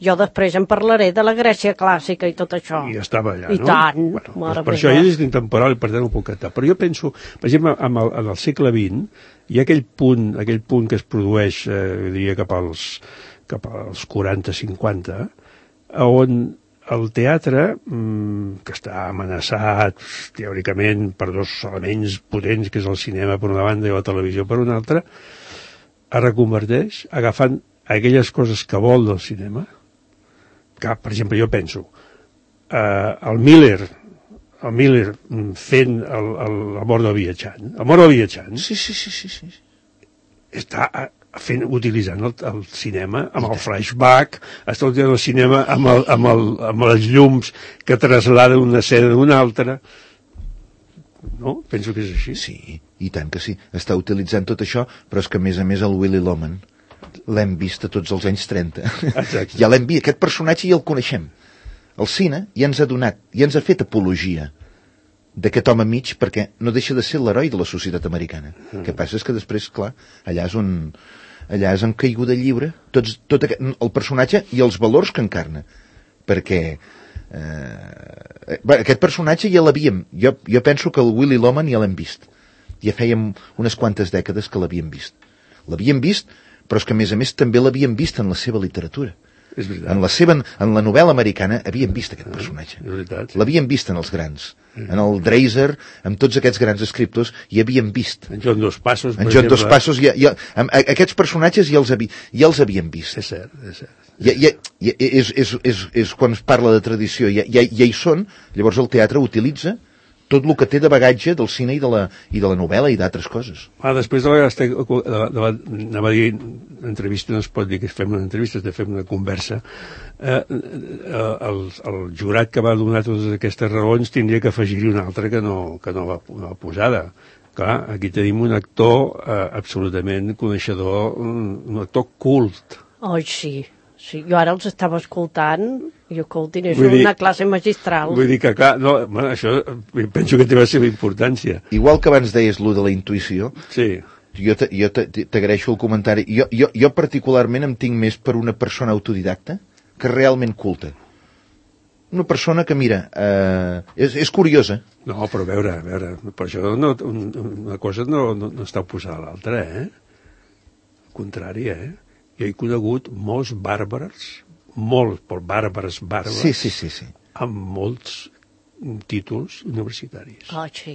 J: jo després en parlaré de la Grècia clàssica i tot això.
I: I estava allà,
J: I
I: no?
J: tant,
I: Bueno,
J: mare
I: doncs per
J: meva.
I: això ell és intemporal i per tant ho puc cantar. Però jo penso, per exemple, en el, en el segle vint, hi ha aquell punt, aquell punt que es produeix, eh, jo diria, cap als, cap als quaranta cinquanta, on el teatre, mmm, que està amenaçat teòricament per dos elements potents, que és el cinema per una banda i la televisió per una altra, es reconverteix agafant aquelles coses que vol del cinema, que, per exemple, jo penso, eh, el Miller, el Miller fent el, el, la mort del viatjant, el mort del viatjant,
K: Sí, sí, sí, sí, sí.
I: està fent, utilitzant el, el cinema amb el flashback, està utilitzant el cinema amb, el, amb, el, amb les llums que trasladen una escena d'una altra. No? Penso que és així.
K: Sí, i tant que sí. Està utilitzant tot això, però és que a més a més el Willy Loman l'hem vist a tots els anys trenta.
I: Exacte.
K: Ja l'hem vist, aquest personatge ja el coneixem. El cine ja ens ha donat, ja ens ha fet apologia d'aquest home mig, perquè no deixa de ser l'heroi de la societat americana. El mm. que passa és que després, clar, allà és on allà és en caiguda lliure tots, tot aquest, el personatge i els valors que encarna, perquè eh, aquest personatge ja l'havíem, jo, jo penso que el Willy Loman ja l'hem vist, ja fèiem unes quantes dècades que l'havíem vist l'havíem vist, però és que a més a més també l'havíem vist en la seva literatura.
I: És veritat.
K: En la seva, en la novel·la americana havíem vist aquest personatge.
I: És veritat.
K: L'havíem vist en els grans. En el Dreiser, amb tots aquests grans escriptors, hi havíem vist.
I: En John Dos Passos, per
K: En John
I: exemple.
K: Dos Passos, ja, ja, amb, aquests personatges ja els, havi, ja els havíem vist.
I: És cert, és cert.
K: Ja, ja, ja, és, és, és, és quan es parla de tradició, ja, ja, ja hi són, llavors el teatre utilitza tot el que té de bagatge del cine i de la, i de la novel·la i d'altres coses.
I: Ah, després de la, de la, de la, anava a dir, entrevista no es pot dir que fem una entrevista, és de fer una conversa. Eh, eh, el, el jurat que va donar totes aquestes raons tindria que afegir-hi una altra que no, que no, va, no va posada. Clar, aquí tenim un actor eh, absolutament coneixedor, un, un actor cult.
J: Ai, sí. Sí, jo ara els estava escoltant i escoltin, és
I: Vull dir-
J: una classe magistral.
I: Vull dir que, clar, no, bueno, això penso que té la seva importància.
K: Igual que abans deies lo de la intuïció,
I: Sí.
K: jo te- jo te- t'agraeixo el comentari. Jo, jo, jo particularment em tinc més per una persona autodidacta que realment culta. Una persona que, mira, eh, és, és curiosa.
I: No, però a veure, a veure, per això no, un, una cosa no, no, no està oposada a l'altra, eh? Al contrari, eh? Jo he conegut molts bàrbars, molts, però bàrbars, bàrbars,
K: Sí, sí, sí, sí.
I: amb molts títols universitaris.
J: Ah, sí.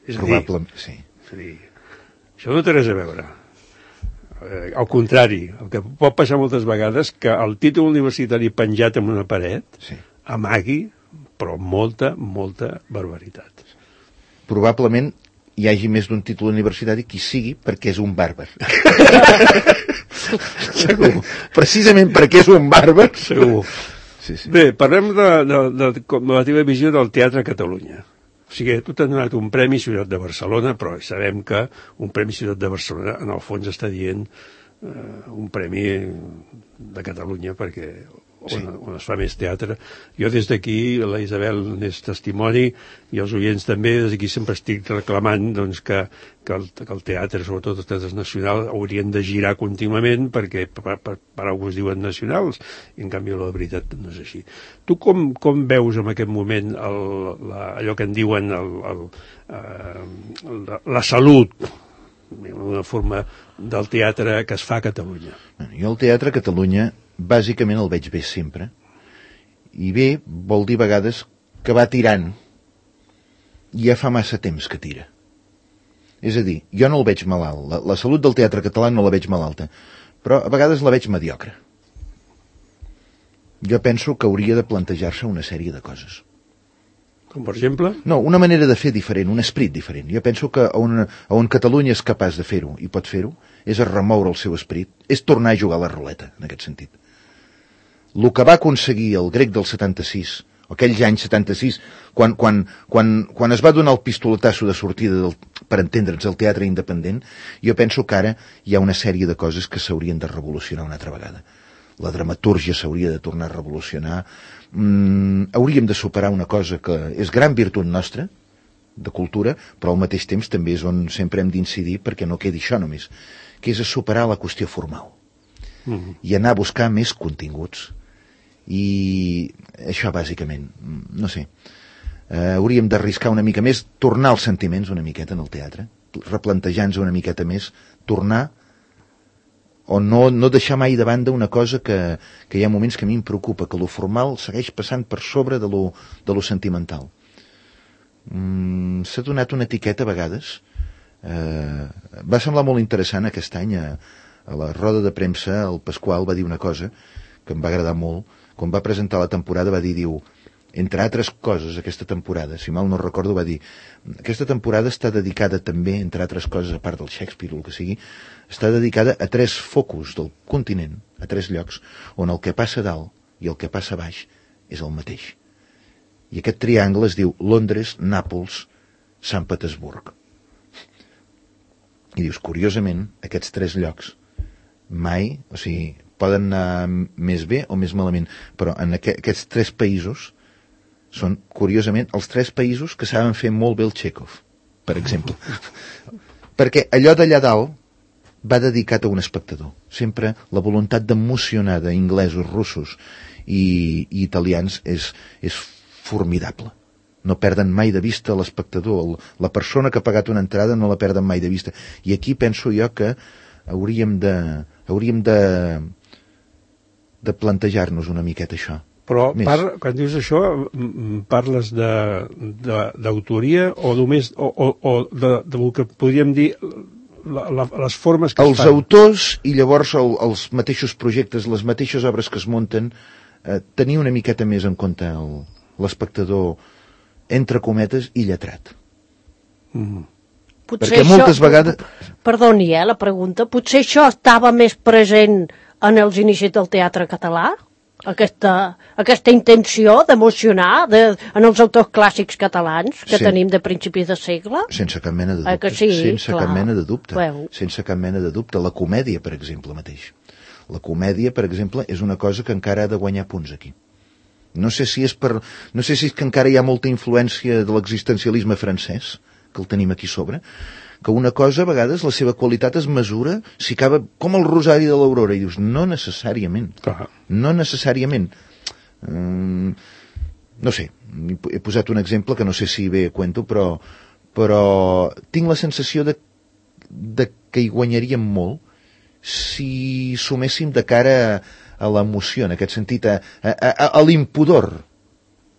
I: És a dir,
K: Probablement, sí.
I: és a dir, això no té res a veure. Eh, al contrari, el que pot passar moltes vegades que el títol universitari penjat en una paret
K: Sí.
I: amagui, però molta, molta barbaritat.
K: Probablement hi hagi més d'un títol universitari qui sigui perquè és un bàrbar.
I: Segur.
K: Precisament perquè és un bàrbar.
I: Segur.
K: Sí, sí.
I: Bé, parlem de, de, de, de la teva visió del teatre a Catalunya. O sigui, tu t'has donat un Premi Ciutat de Barcelona, però sabem que un Premi Ciutat de Barcelona en el fons està dient eh, un premi de Catalunya perquè on,
K: Sí.
I: on es fa més teatre. Jo des d'aquí, la Isabel n'és testimoni i els oients també, des d'aquí sempre estic reclamant doncs, que, que, el, que el teatre, sobretot els teatres nacionals, haurien de girar contínuament perquè per, per, per alguns es diuen nacionals i en canvi la veritat no és així. Tu com, com veus en aquest moment el, la, allò que en diuen el, el, eh, la, la salut, una forma del teatre que es fa a Catalunya?
K: Jo el teatre a Catalunya bàsicament el veig bé sempre. I bé vol dir a vegades que va tirant. I ja fa massa temps que tira. És a dir, jo no el veig malalt. La, la salut del teatre català no la veig malalta. Però a vegades la veig mediocre. Jo penso que hauria de plantejar-se una sèrie de coses.
I: Com per exemple?
K: No, una manera de fer diferent, un esperit diferent. Jo penso que on, on Catalunya és capaç de fer-ho, i pot fer-ho, és a remoure el seu esperit, és tornar a jugar a la ruleta, en aquest sentit. El que va aconseguir el grec del setanta-sis, aquells anys setanta-sis, quan, quan, quan, quan es va donar el pistoletasso de sortida del, per entendre'ns, el teatre independent, jo penso que ara hi ha una sèrie de coses que s'haurien de revolucionar una altra vegada. La dramatúrgia s'hauria de tornar a revolucionar. Mm, hauríem de superar una cosa que és gran virtut nostra, de cultura, però al mateix temps també és on sempre hem d'incidir perquè no quedi això només, que és a superar la qüestió formal. Mm-hmm. I anar a buscar més continguts. I això bàsicament, no sé, eh, hauríem d'arriscar una mica més, tornar els sentiments una miqueta en el teatre, replantejar-nos una miqueta més, tornar o no, no deixar mai de banda una cosa que, que hi ha moments que a mi em preocupa, que lo formal segueix passant per sobre de lo, de lo sentimental. Mm, s'ha donat una etiqueta a vegades, eh, va semblar molt interessant aquest any a, a la roda de premsa el Pasqual va dir una cosa que em va agradar molt, quan va presentar la temporada va dir, diu, entre altres coses aquesta temporada, si mal no recordo va dir, aquesta temporada està dedicada també, entre altres coses a part del Shakespeare o el que sigui, està dedicada a tres focus del continent, a tres llocs on el que passa dalt i el que passa baix és el mateix, i aquest triangle es diu Londres, Nàpols, Sant Petersburg. I dius, curiosament, aquests tres llocs mai, o sigui, poden anar més bé o més malament, però en aqu aquests tres països són, curiosament, els tres països que saben fer molt bé el Chekhov, per exemple. Perquè allò d'allà dalt va dedicat a un espectador. Sempre la voluntat d'emocionar d'inglesos, russos i, i italians és, és formidable. No perden mai de vista l'espectador. La persona que ha pagat una entrada no la perden mai de vista. I aquí penso jo que hauríem de, hauríem de, de plantejar-nos una miqueta això.
I: Però parla, quan dius això, parles d'autoria o només o, o, o de, del que podríem dir la, la, les formes que
K: els
I: es fan?
K: Els autors i llavors el, els mateixos projectes, les mateixes obres que es munten, eh, tenir una miqueta més en compte l'espectador, entre cometes, i lletrat. Mm.
J: Potser
K: perquè moltes
J: això,
K: vegades...
J: Perdoni, eh, la pregunta. Potser això estava més present en els inicis del teatre català? Aquesta, aquesta intenció d'emocionar de, en els autors clàssics catalans que sí. tenim de principis de segle?
K: Sense cap mena de dubte.
J: Eh, que sí,
K: sense
J: clar.
K: cap mena de dubte.
J: Veu.
K: Sense cap mena de dubte. La comèdia, per exemple, mateix. La comèdia, per exemple, és una cosa que encara ha de guanyar punts aquí. No sé si és per, no sé si és que encara hi ha molta influència de l'existencialisme francès, que el tenim aquí sobre, que una cosa, a vegades, la seva qualitat es mesura si acaba com el rosari de l'Aurora, i dius, no necessàriament. Clar. No necessàriament. Mm, no sé, he posat un exemple que no sé si bé cuento, però, però tinc la sensació de, de que hi guanyaríem molt si suméssim de cara a, a l'emoció, en aquest sentit, a, a, a, a l'impudor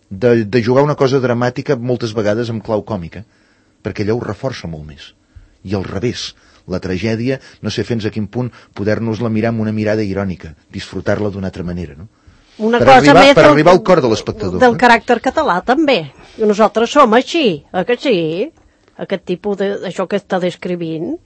K: de, de jugar una cosa dramàtica moltes vegades amb clau còmica, perquè allò ho reforça molt més. I al revés, la tragèdia, no sé fins a quin punt poder-nos-la mirar amb una mirada irònica, disfrutar-la d'una altra manera, no?
J: Una
K: per
J: cosa
K: arribar,
J: més
K: per
J: del,
K: arribar al cor de l'espectador.
J: Del caràcter català, també. I nosaltres som així, eh que sí? Aquest tipus d'això que està descrivint,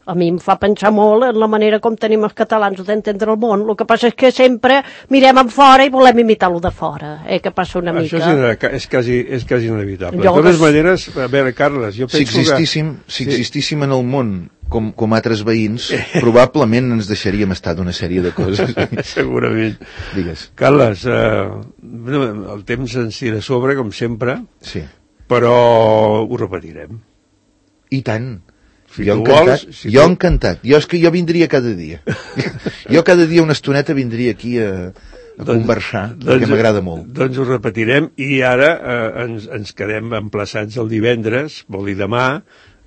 J: a mi em fa pensar molt en la manera com tenim els catalans d'entendre el món. El que passa és que sempre mirem en fora i volem imitar-lo de fora, eh, que passa una
I: Això
J: mica.
I: Això és, és, quasi, és quasi inevitable.
J: Jo
I: de totes
J: que...
I: maneres, a veure, Carles, jo penso
K: si existíssim,
I: que...
K: Si existíssim sí. en el món com, com altres veïns, probablement ens deixaríem estar d'una sèrie de coses.
I: Segurament.
K: Digues.
I: Carles, eh, el temps ens tira a sobre, com sempre,
K: sí.
I: però ho repetirem.
K: I tant.
I: Si
K: jo
I: encantat,
K: vols,
I: si
K: jo
I: tu...
K: encantat. Jo és que jo vindria cada dia. Jo cada dia una estoneta vindria aquí a, a doncs, conversar, doncs, perquè m'agrada molt.
I: Doncs ho repetirem i ara eh, ens, ens quedem emplaçats el divendres, vol dir demà,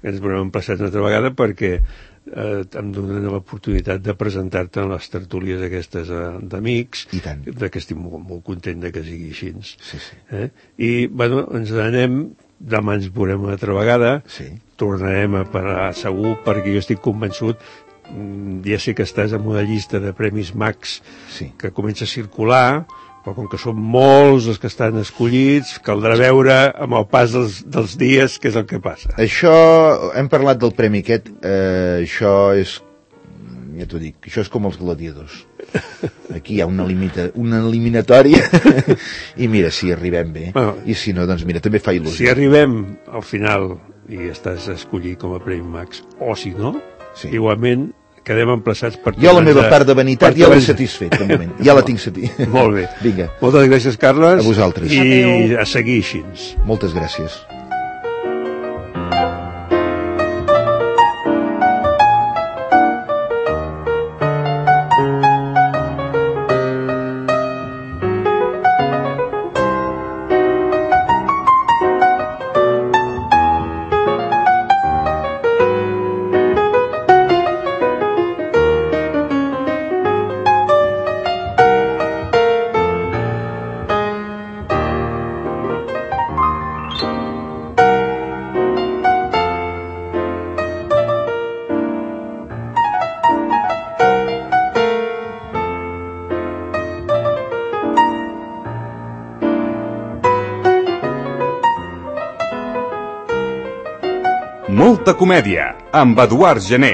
I: que ens veurem emplaçats una altra vegada perquè eh, em donen l'oportunitat de presentar-te en les tertúlies aquestes eh, d'amics, de que estic molt, molt content de que sigui així.
K: Sí, sí.
I: Eh? I, bueno, ens anem, demà ens veurem una altra vegada,
K: sí.
I: Tornarem a parlar segur, perquè jo estic convençut, ja sé que estàs en una llista de Premis Max
K: sí.
I: que comença a circular, però com que són molts els que estan escollits, caldrà veure amb el pas dels, dels dies què és el que passa.
K: Això, hem parlat del premi aquest, eh, això és, ja t'ho dic, això és com els gladiadors. Aquí hi ha una, limita, una eliminatòria i mira, si arribem bé, bueno, i si no, doncs mira, també fa il·lusió.
I: Si arribem al final i estàs escollit com a Premi Max, o si no, sí, igualment quedem emplaçats per...
K: Jo la meva part de vanitat ja l'he satisfet, de moment. Ja la tinc satisfet.
I: Molt bé.
K: Vinga.
I: Moltes gràcies, Carles.
K: A vosaltres.
I: I
K: Adeu.
I: A seguir així.
K: Moltes gràcies.
B: Molta comèdia, amb Eduard Gené.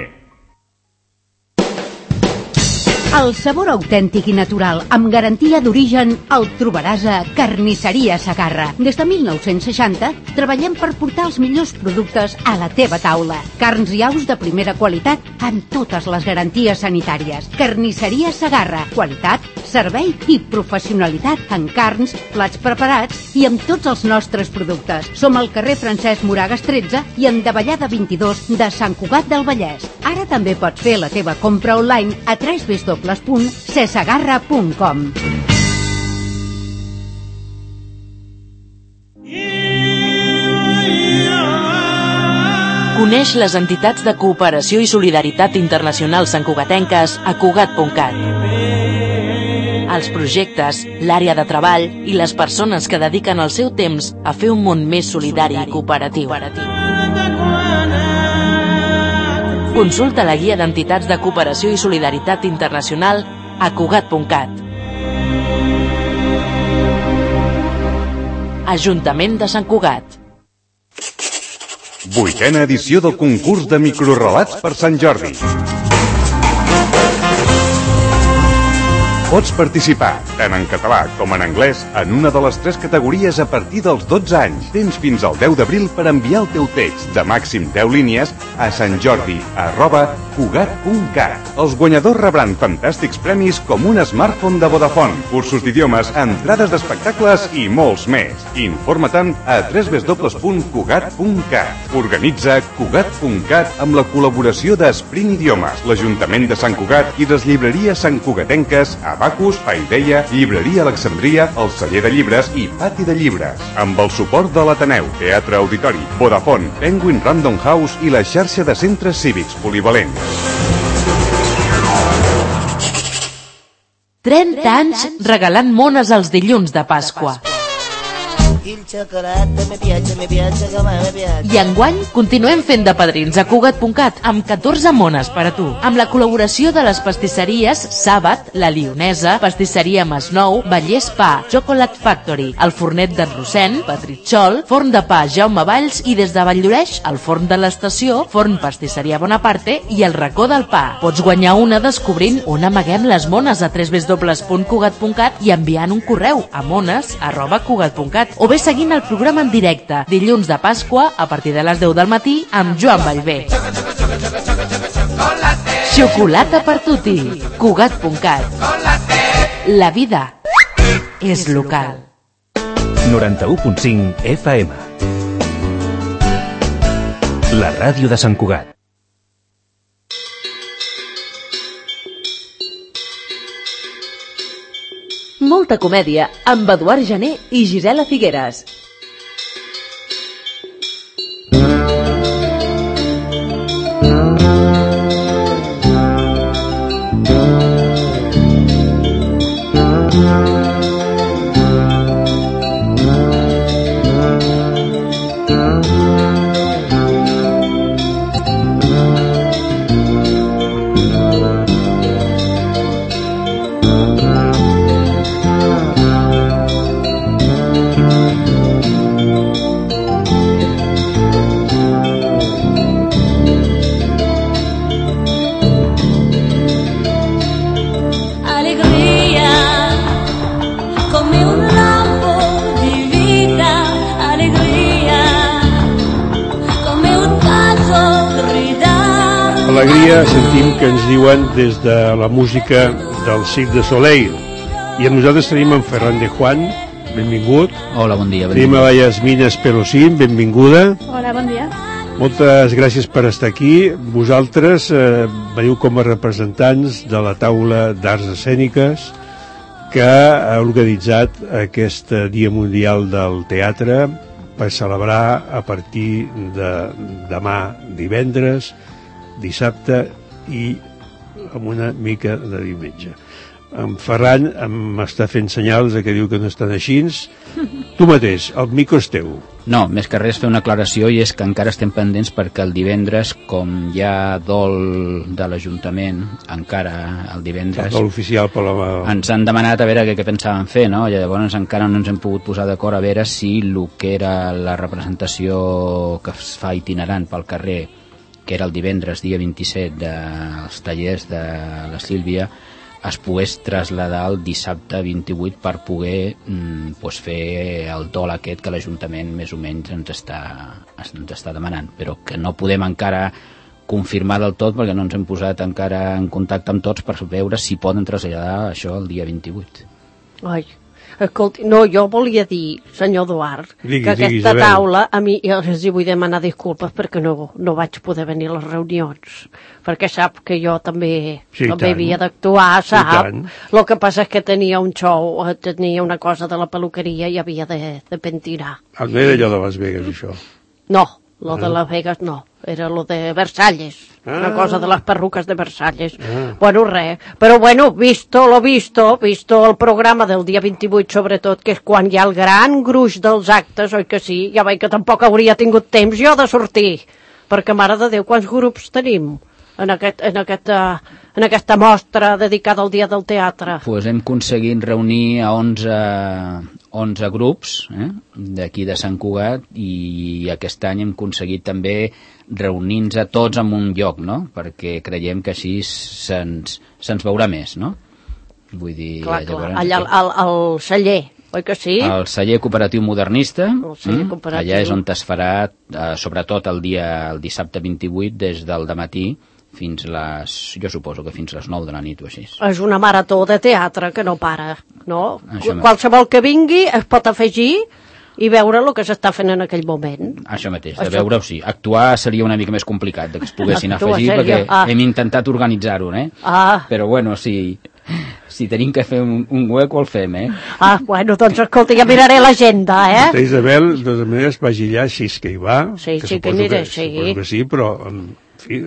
A: El sabor autèntic i natural, amb garantia d'origen, el trobaràs a Carnisseria Segarra. Des de mil nou-cents seixanta treballem per portar els millors productes a la teva taula. Carns i aus de primera qualitat amb totes les garanties sanitàries. Carnisseria Segarra. Qualitat, servei i professionalitat en carns, plats preparats i amb tots els nostres productes. Som al carrer Francesc Moragas tretze i en Davallada vint-i-dos de Sant Cugat del Vallès. Ara també pots fer la teva compra online a w w w punt cesegarra punt com.
L: Coneix les entitats de cooperació i solidaritat internacional santcugatenques a cugat punt cat. Els projectes, l'àrea de treball i les persones que dediquen el seu temps a fer un món més solidari i cooperatiu. Consulta la guia d'entitats de cooperació i solidaritat internacional a cugat punt cat. Ajuntament de Sant Cugat.
B: Vuitena edició del concurs de microrelats per Sant Jordi. Pots participar, tant en català com en anglès, en una de les tres categories a partir dels dotze anys. Tens fins al deu d'abril per enviar el teu text de màxim deu línies a santjordi arroba cugat punt cat. Els guanyadors rebran fantàstics premis com un smartphone de Vodafone, cursos d'idiomes, entrades d'espectacles i molts més. Informa-te'n a w w w punt cugat punt cat. Organitza cugat punt cat amb la col·laboració d'Esprint Idiomes, l'Ajuntament de Sant Cugat i les llibreries santcugatenques Abacus, Paideia, Llibreria Alexandria, el Celler de Llibres i Pati de Llibres. Amb el suport de l'Ateneu, Teatre Auditori, Vodafone, Penguin Random House i la xarxa de centres cívics polivalents.
L: trenta anys regalant mones els dilluns de Pasqua. I enguany continuem fent de padrins a cugat punt cat amb catorze mones per a tu, amb la col·laboració de les pastisseries Sàbat, La Lionesa, Pastisseria Masnou, Vallès Pa, Chocolate Factory, el Fornet d'en Rossent, Patritxol, Forn de Pa Jaume Valls i des de Valldoreix, el Forn de l'Estació, Forn Pastisseria Bonaparte i el Racó del Pa. Pots guanyar una descobrint on amaguem les mones a w w w punt cugat punt cat i enviant un correu a mones arroba cugat punt cat o bé seguint el programa en directe, dilluns de Pasqua, a partir de les deu del matí, amb Joan Vallvé. Xocolata per tutti, cugat punt cat. La vida és local.
G: noranta-u punt cinc F M. La ràdio de Sant Cugat.
C: Molta comèdia amb Eduard Gené i Gisela Figueres.
I: alegria sentim que ens diuen des de la música del Cirque du Soleil. I amb nosaltres tenim en Ferran de Juan, benvingut.
M: Hola, bon dia.
I: Tenim a la Yasmina Espelosín, benvinguda.
N: Hola, bon dia.
I: Moltes gràcies per estar aquí. Vosaltres eh, veniu com a representants de la taula d'arts escèniques que ha organitzat aquest Dia Mundial del Teatre per celebrar a partir de demà divendres, dissabte i amb una mica de diumenge. En Ferran m'està fent senyals que diu que no estan així. Tu mateix, el micro és teu.
M: No, més que res fer una aclaració, i és que encara estem pendents perquè el divendres, com hi ha dol de l'Ajuntament, encara el divendres...
I: El dol oficial per la...
M: Ens han demanat a veure què, què pensaven fer, no? I llavors encara no ens hem pogut posar d'acord a veure si el que era la representació que es fa itinerant pel carrer, que era el divendres, dia vint-i-set, dels tallers de la Sílvia, es pogués traslladar el dissabte vint-i-vuit per poder mm, pues fer el dol aquest que l'Ajuntament més o menys ens està, ens està demanant, però que no podem encara confirmar del tot perquè no ens hem posat encara en contacte amb tots per veure si poden traslladar això el dia vint-i-vuit.
J: Ai, escolti, no, jo volia dir, senyor Eduard,
I: digui,
J: que aquesta
I: digui, Isabel.
J: taula, a mi, jo els hi vull demanar disculpes perquè no, no vaig poder venir a les reunions, perquè sap que jo també,
I: sí,
J: també
I: tant.
J: havia d'actuar, sap?
I: Sí,
J: el que passa és que tenia un show, tenia una cosa de la peluqueria i havia de, de pentinar.
I: Ah, no era allò de Las Vegas, això?
J: No, lo
I: ah.
J: de Las Vegas no, era lo de Versalles, ah. una cosa de les perruques de Versalles.
I: Ah.
J: Bueno, res, però bueno, visto lo visto, visto el programa del dia vint-i-vuit sobretot, que és quan hi ha el gran gruix dels actes, oi que sí? Ja veig que tampoc hauria tingut temps jo de sortir, perquè mare de Déu, quants grups tenim en, aquest, en, aquesta, en aquesta mostra dedicada al Dia del Teatre?
M: Pues hem aconseguit reunir a onze, onze grups eh, d'aquí de Sant Cugat, i aquest any hem aconseguit també reunir-nos a tots en un lloc, no? Perquè creiem que així se'ns se'ns veurà més, no? Vull dir...
J: Clar,
M: llavors,
J: clar, allà al, al, al celler, oi que sí?
M: El celler cooperatiu modernista,
J: el celler
M: mm,
J: cooperatiu.
M: allà és on es farà, eh, sobretot el dia el dissabte vint-i-vuit, des del dematí fins les, jo suposo que fins les nou de la nit o així.
J: És una marató de teatre que no para, no?
M: Això
J: Qualsevol que vingui es pot afegir i veure el que s'està fent en aquell moment.
M: Això mateix, de
J: Això...
M: veure-ho sí. Actuar seria una mica més complicat, que es poguessin
J: Actuar
M: afegir,
J: seria...
M: perquè
J: ah.
M: hem intentat organitzar-ho, eh?
J: Ah.
M: Però bueno, si, si tenim que fer un, un hueco, el fem, eh?
J: Ah, bueno, doncs escolta, ja miraré l'agenda, eh?
I: Vostè, Isabel, de totes maneres, vagi allà, si és que hi va.
J: Sí,
I: que
J: sí que
I: suposo
J: aniré,
I: que,
J: sí.
I: Suposo que sí, però, en fi,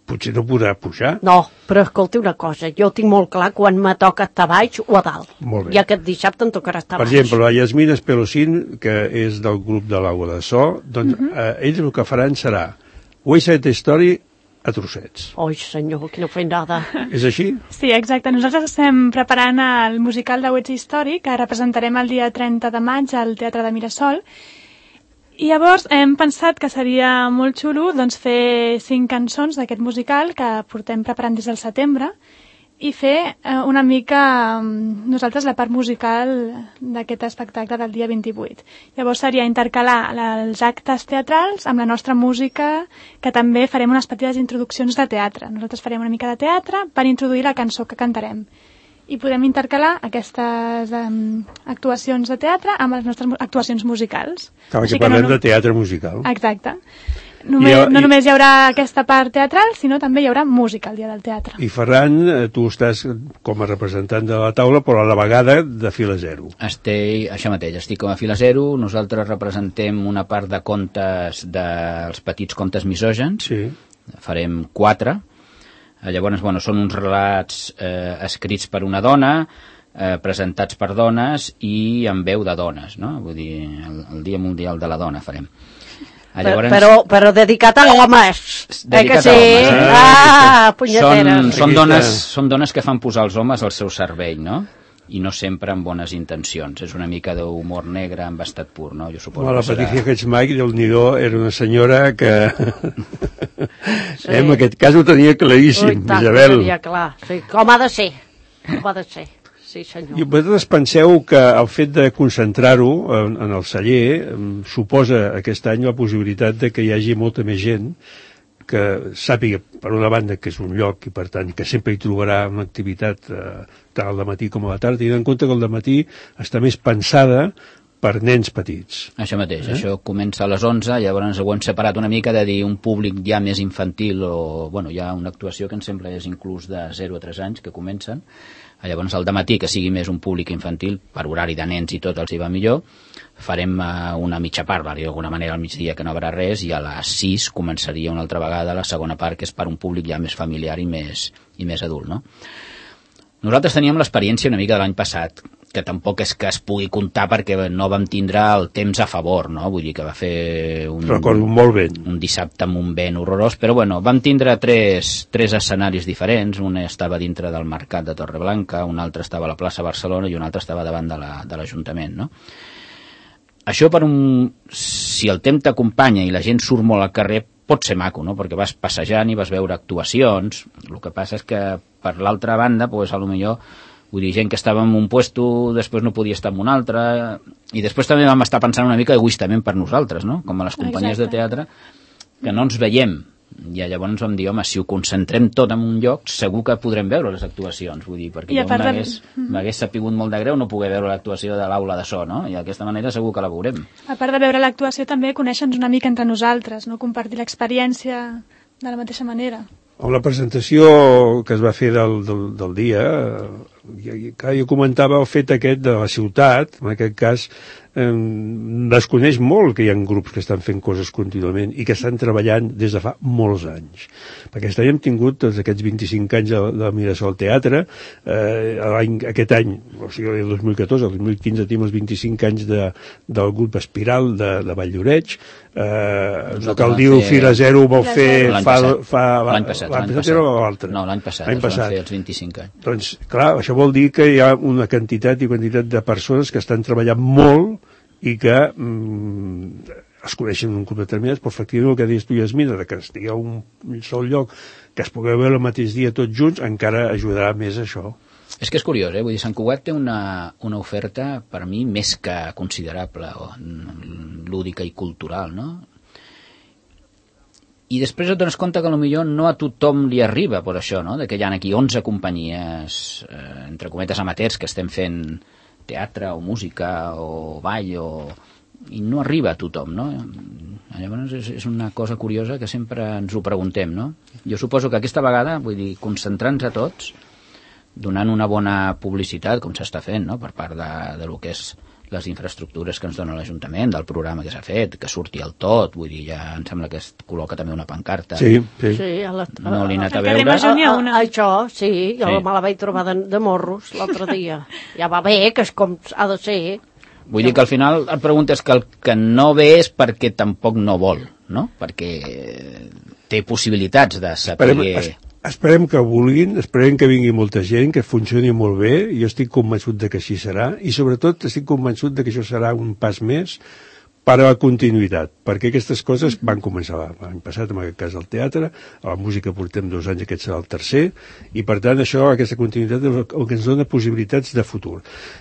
I: potser no podrà pujar.
J: No, però escolti una cosa, jo tinc molt clar quan me toca estar baix o a dalt.
I: Molt bé.
J: I aquest dissabte em tocarà estar
I: Per
J: baix.
I: exemple, la Yasmina Espelosín, que és del grup de l'Aigua de So, doncs uh -huh. eh, ells el que faran serà West Side Story a trossets.
J: Oi, senyor, quina feinada.
I: És així?
N: Sí, exacte. Nosaltres estem preparant el musical de West Side Story, que representarem el dia trenta de maig al Teatre de Mirasol. I llavors hem pensat que seria molt xulo doncs, fer cinc cançons d'aquest musical que portem preparant des del setembre i fer eh, una mica nosaltres la part musical d'aquest espectacle del dia vint-i-vuit. Llavors seria intercalar els actes teatrals amb la nostra música, que també farem unes petites introduccions de teatre. Nosaltres farem una mica de teatre per introduir la cançó que cantarem. I podem intercalar aquestes um, actuacions de teatre amb les nostres actuacions musicals.
I: Clar,
N: Així
I: que parlem
N: no, no...
I: de teatre musical.
N: Exacte. Només,
I: I,
N: no
I: i...
N: només hi haurà aquesta part teatral, sinó també hi haurà música el dia del teatre.
I: I Ferran, tu estàs com a representant de la taula, però a la vegada de fila zero.
M: Estic, això mateix, estic com a fila zero. Nosaltres representem una part de contes, dels petits contes misògens.
I: Sí.
M: Farem quatre. Llavors, bueno, són uns relats eh, escrits per una dona, eh, presentats per dones i amb veu de dones, no? Vull dir, el, el Dia Mundial de la Dona farem.
J: Llavors, però, però dedicat a homes.
M: Dedicat
J: eh
M: a homes.
J: Sí? Ah, punyeteres.
M: Són, són, dones, són dones que fan posar els homes al seu servei, no? I no sempre amb bones intencions. És una mica d'humor negre amb estat pur, no? Jo suposo
I: bueno, la
M: que serà...
I: Patricia Hedgemike, déu-n'hi-do, era una senyora que... sí. En aquest cas ho tenia claríssim,
J: Ui, tant,
I: Isabel.
J: Ho tenia clar, sí. Com ha de ser. Com ha de ser. Sí, senyor.
I: I vosaltres penseu que el fet de concentrar-ho en, en el celler suposa aquest any la possibilitat de que hi hagi molta més gent que sàpiga, per una banda, que és un lloc i, per tant, que sempre hi trobarà una activitat eh, tant al matí com a la tarda, tenint en compte que el matí està més pensada per nens petits.
M: Això mateix, eh? Això comença a les onze, llavors ho hem separat una mica de dir un públic ja més infantil o, bueno, hi ha una actuació que em sembla és inclús de zero a tres anys que comencen. Llavors al dematí, que sigui més un públic infantil, per horari de nens i tot els hi va millor, farem uh, una mitja part, va dir d'alguna manera al migdia que no haurà res, i a les sis començaria una altra vegada la segona part, que és per un públic ja més familiar i més, i més adult, no? Nosaltres teníem l'experiència una mica de l'any passat, que tampoc és que es pugui comptar perquè no vam tindre el temps a favor, no? Vull dir que va fer un,
I: Recordo molt vent.
M: un dissabte amb un vent horrorós, però bueno, vam tindre tres, tres escenaris diferents. Un estava dintre del mercat de Torreblanca, un altre estava a la plaça Barcelona i un altre estava davant de la, de l'Ajuntament, no? Això per un... si el temps t'acompanya i la gent surt molt al carrer, pot ser maco, no? Perquè vas passejant i vas veure actuacions. El que passa és que per l'altra banda, pues, a lo millor, vull dir, gent que estava en un puesto, després no podia estar en un altre, i després també vam estar pensant una mica egoistament per nosaltres, no? Com a les companyies
N: Exacte.
M: de teatre, que no ens veiem. I llavors vam dir, home, si ho concentrem tot en un lloc, segur que podrem veure les actuacions, vull dir, perquè
N: I a
M: jo
N: part de-
M: m'hagués m'hagués sapigut molt de greu no poder veure l'actuació de l'aula de so, no? I d'aquesta manera segur que la veurem.
N: A part de veure l'actuació, també conèixer-nos una mica entre nosaltres, no? Compartir l'experiència de la mateixa manera.
I: Amb la presentació que es va fer del, del, del dia, eh, jo, jo comentava el fet aquest de la ciutat, en aquest cas, eh, desconeix molt que hi ha grups que estan fent coses contínuament i que estan treballant des de fa molts anys. Perquè aquest any hem tingut tots aquests vint-i-cinc anys de, de Mirasol Teatre, eh, l'any, aquest any, o sigui, el dos mil catorze, el dos mil quinze tenim els vint-i-cinc anys de, del grup Espiral de, de Valldoreix, eh, no cal dir-ho, Fira Zero ho vol fer
M: L'any
I: fa...
M: passat.
I: fa
M: L'any passat, l'any
I: passat
M: passat.
I: era l'altre?
M: No, l'any passat,
I: L'any
M: es van
I: passat.
M: fer els vint-i-cinc anys.
I: Doncs, clar, això vol dir que hi ha una quantitat i quantitat de persones que estan treballant molt i que mm, es coneixen en un grup determinat, però efectivament el que deies tu, Yasmina, de que estigui a un sol lloc, que es pugui veure el mateix dia tots junts, encara ajudarà més això.
M: És que és curiós, eh? Vull dir, Sant Cugat té una, una oferta, per mi, més que considerable, o, lúdica i cultural, no? I després et dones compte que potser no a tothom li arriba per això, no? De que hi ha aquí onze companyies, eh, entre cometes amateurs, que estem fent teatre o música o ball, o... i no arriba a tothom, no? Llavors és, és una cosa curiosa que sempre ens ho preguntem, no? Jo suposo que aquesta vegada, vull dir, concentrant-nos a tots, donant una bona publicitat, com s'està fent, no? Per part de, de lo que és les infraestructures que ens dona l'Ajuntament, del programa que s'ha fet, que surti el tot, vull dir, ja em sembla que es col·loca també una pancarta.
I: Sí, sí.
J: Sí, a la, a,
M: No l'he anat a
J: al
M: veure.
J: carrer Major n'hi ha una. A, a, això, sí, jo
M: Sí.
J: me la vaig trobar de, de morros l'altre dia. Ja va bé, que és com ha de ser.
M: Vull dir que al final et preguntes que el que no ve és perquè tampoc no vol, no? Perquè té possibilitats de saber...
I: Esperem, es, esperem que vulguin, esperem que vingui molta gent, que funcioni molt bé, i jo estic convençut de que així serà, i sobretot estic convençut de que això serà un pas més per a la continuïtat, perquè aquestes coses van començar l'any passat, en aquest cas el teatre, a la música portem dos anys, aquest serà el tercer, i per tant això, aquesta continuïtat és el que ens dona possibilitats de futur.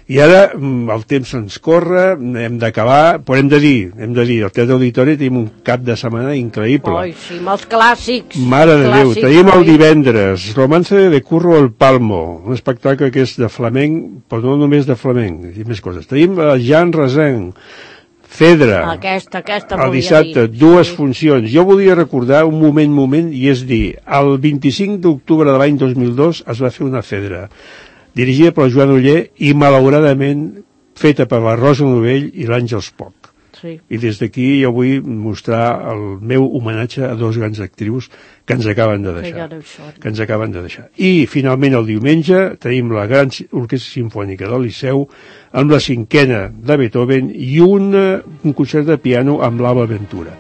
I: I ara el temps ens corre, hem d'acabar, però hem de dir, hem de dir, al Teatre Auditori tenim un cap de setmana increïble.
J: Oi, sí, amb els clàssics.
I: Mare de Déu,
J: clàssics,
I: tenim el
J: oi?
I: divendres Romance de Curro al Palmo, un espectacle que és de flamenc, però no només de flamenc, i més coses. Tenim el Jan Resenc, Fedra,
J: Aquesta, aquesta
I: el
J: volia
I: dissabte,
J: dir.
I: dues
J: Sí.
I: funcions. Jo volia recordar un moment, moment, i és dir, el vint-i-cinc d'octubre de l'any dos mil dos es va fer una Fedra, dirigida per Joan Oller i malauradament feta per la Rosa Novell i l'Àngels Poch.
J: Sí.
I: I des d'aquí jo vull mostrar el meu homenatge a dos grans actrius que ens acaben de
J: Que
I: deixar.
J: ja no hi són.
I: Que ens acaben de deixar. I finalment el diumenge tenim la Gran Orquestra Simfònica del Liceu amb la cinquena de Beethoven i una, un concert de piano amb l'Alba Ventura.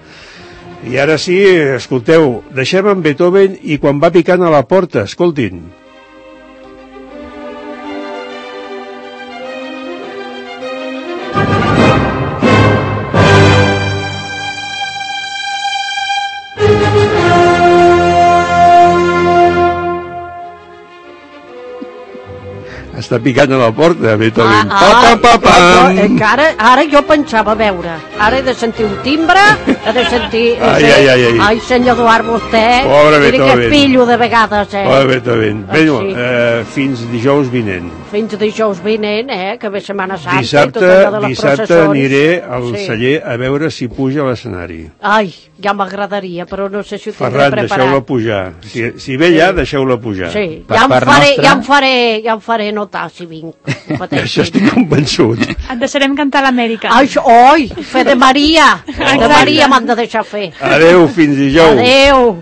I: I ara sí, escolteu, deixem en Beethoven i quan va picant a la porta, escoltin. està picant a la porta, Beethoven.
J: Ah,
I: Pa, pa, pa,
J: ah,
I: pam.
J: jo, encara, ara jo pensava, a veure, ara he de sentir un timbre, he de sentir...
I: Ai, ai, ai, ai.
J: Ai, senyor Eduard, vostè...
I: Pobre
J: miri
I: Beethoven.
J: que pillo de vegades, eh?
I: Pobre Beethoven.
J: Ah,
I: Bé,
J: sí.
I: eh, fins dijous vinent.
J: Fins dijous vinent, eh? Que ve Setmana Santa
I: Dissabte,
J: i tot allò de les
I: dissabte
J: processons.
I: aniré al
J: Sí.
I: celler a veure si puja a l'escenari.
J: Ai, ja m'agradaria, però no sé si ho tindré
I: Ferran,
J: preparat.
I: deixeu-la pujar. Si, si ve ja, deixeu-la pujar.
J: Sí, ja em, faré, ja, em faré, ja em faré notar si vinc.
I: Això estic convençut.
N: Et deixarem cantar l'Amèrica.
J: Ai, oi, fe de Maria. De Maria m'han de deixar fer.
I: Adéu, fins dijous.
J: Adéu.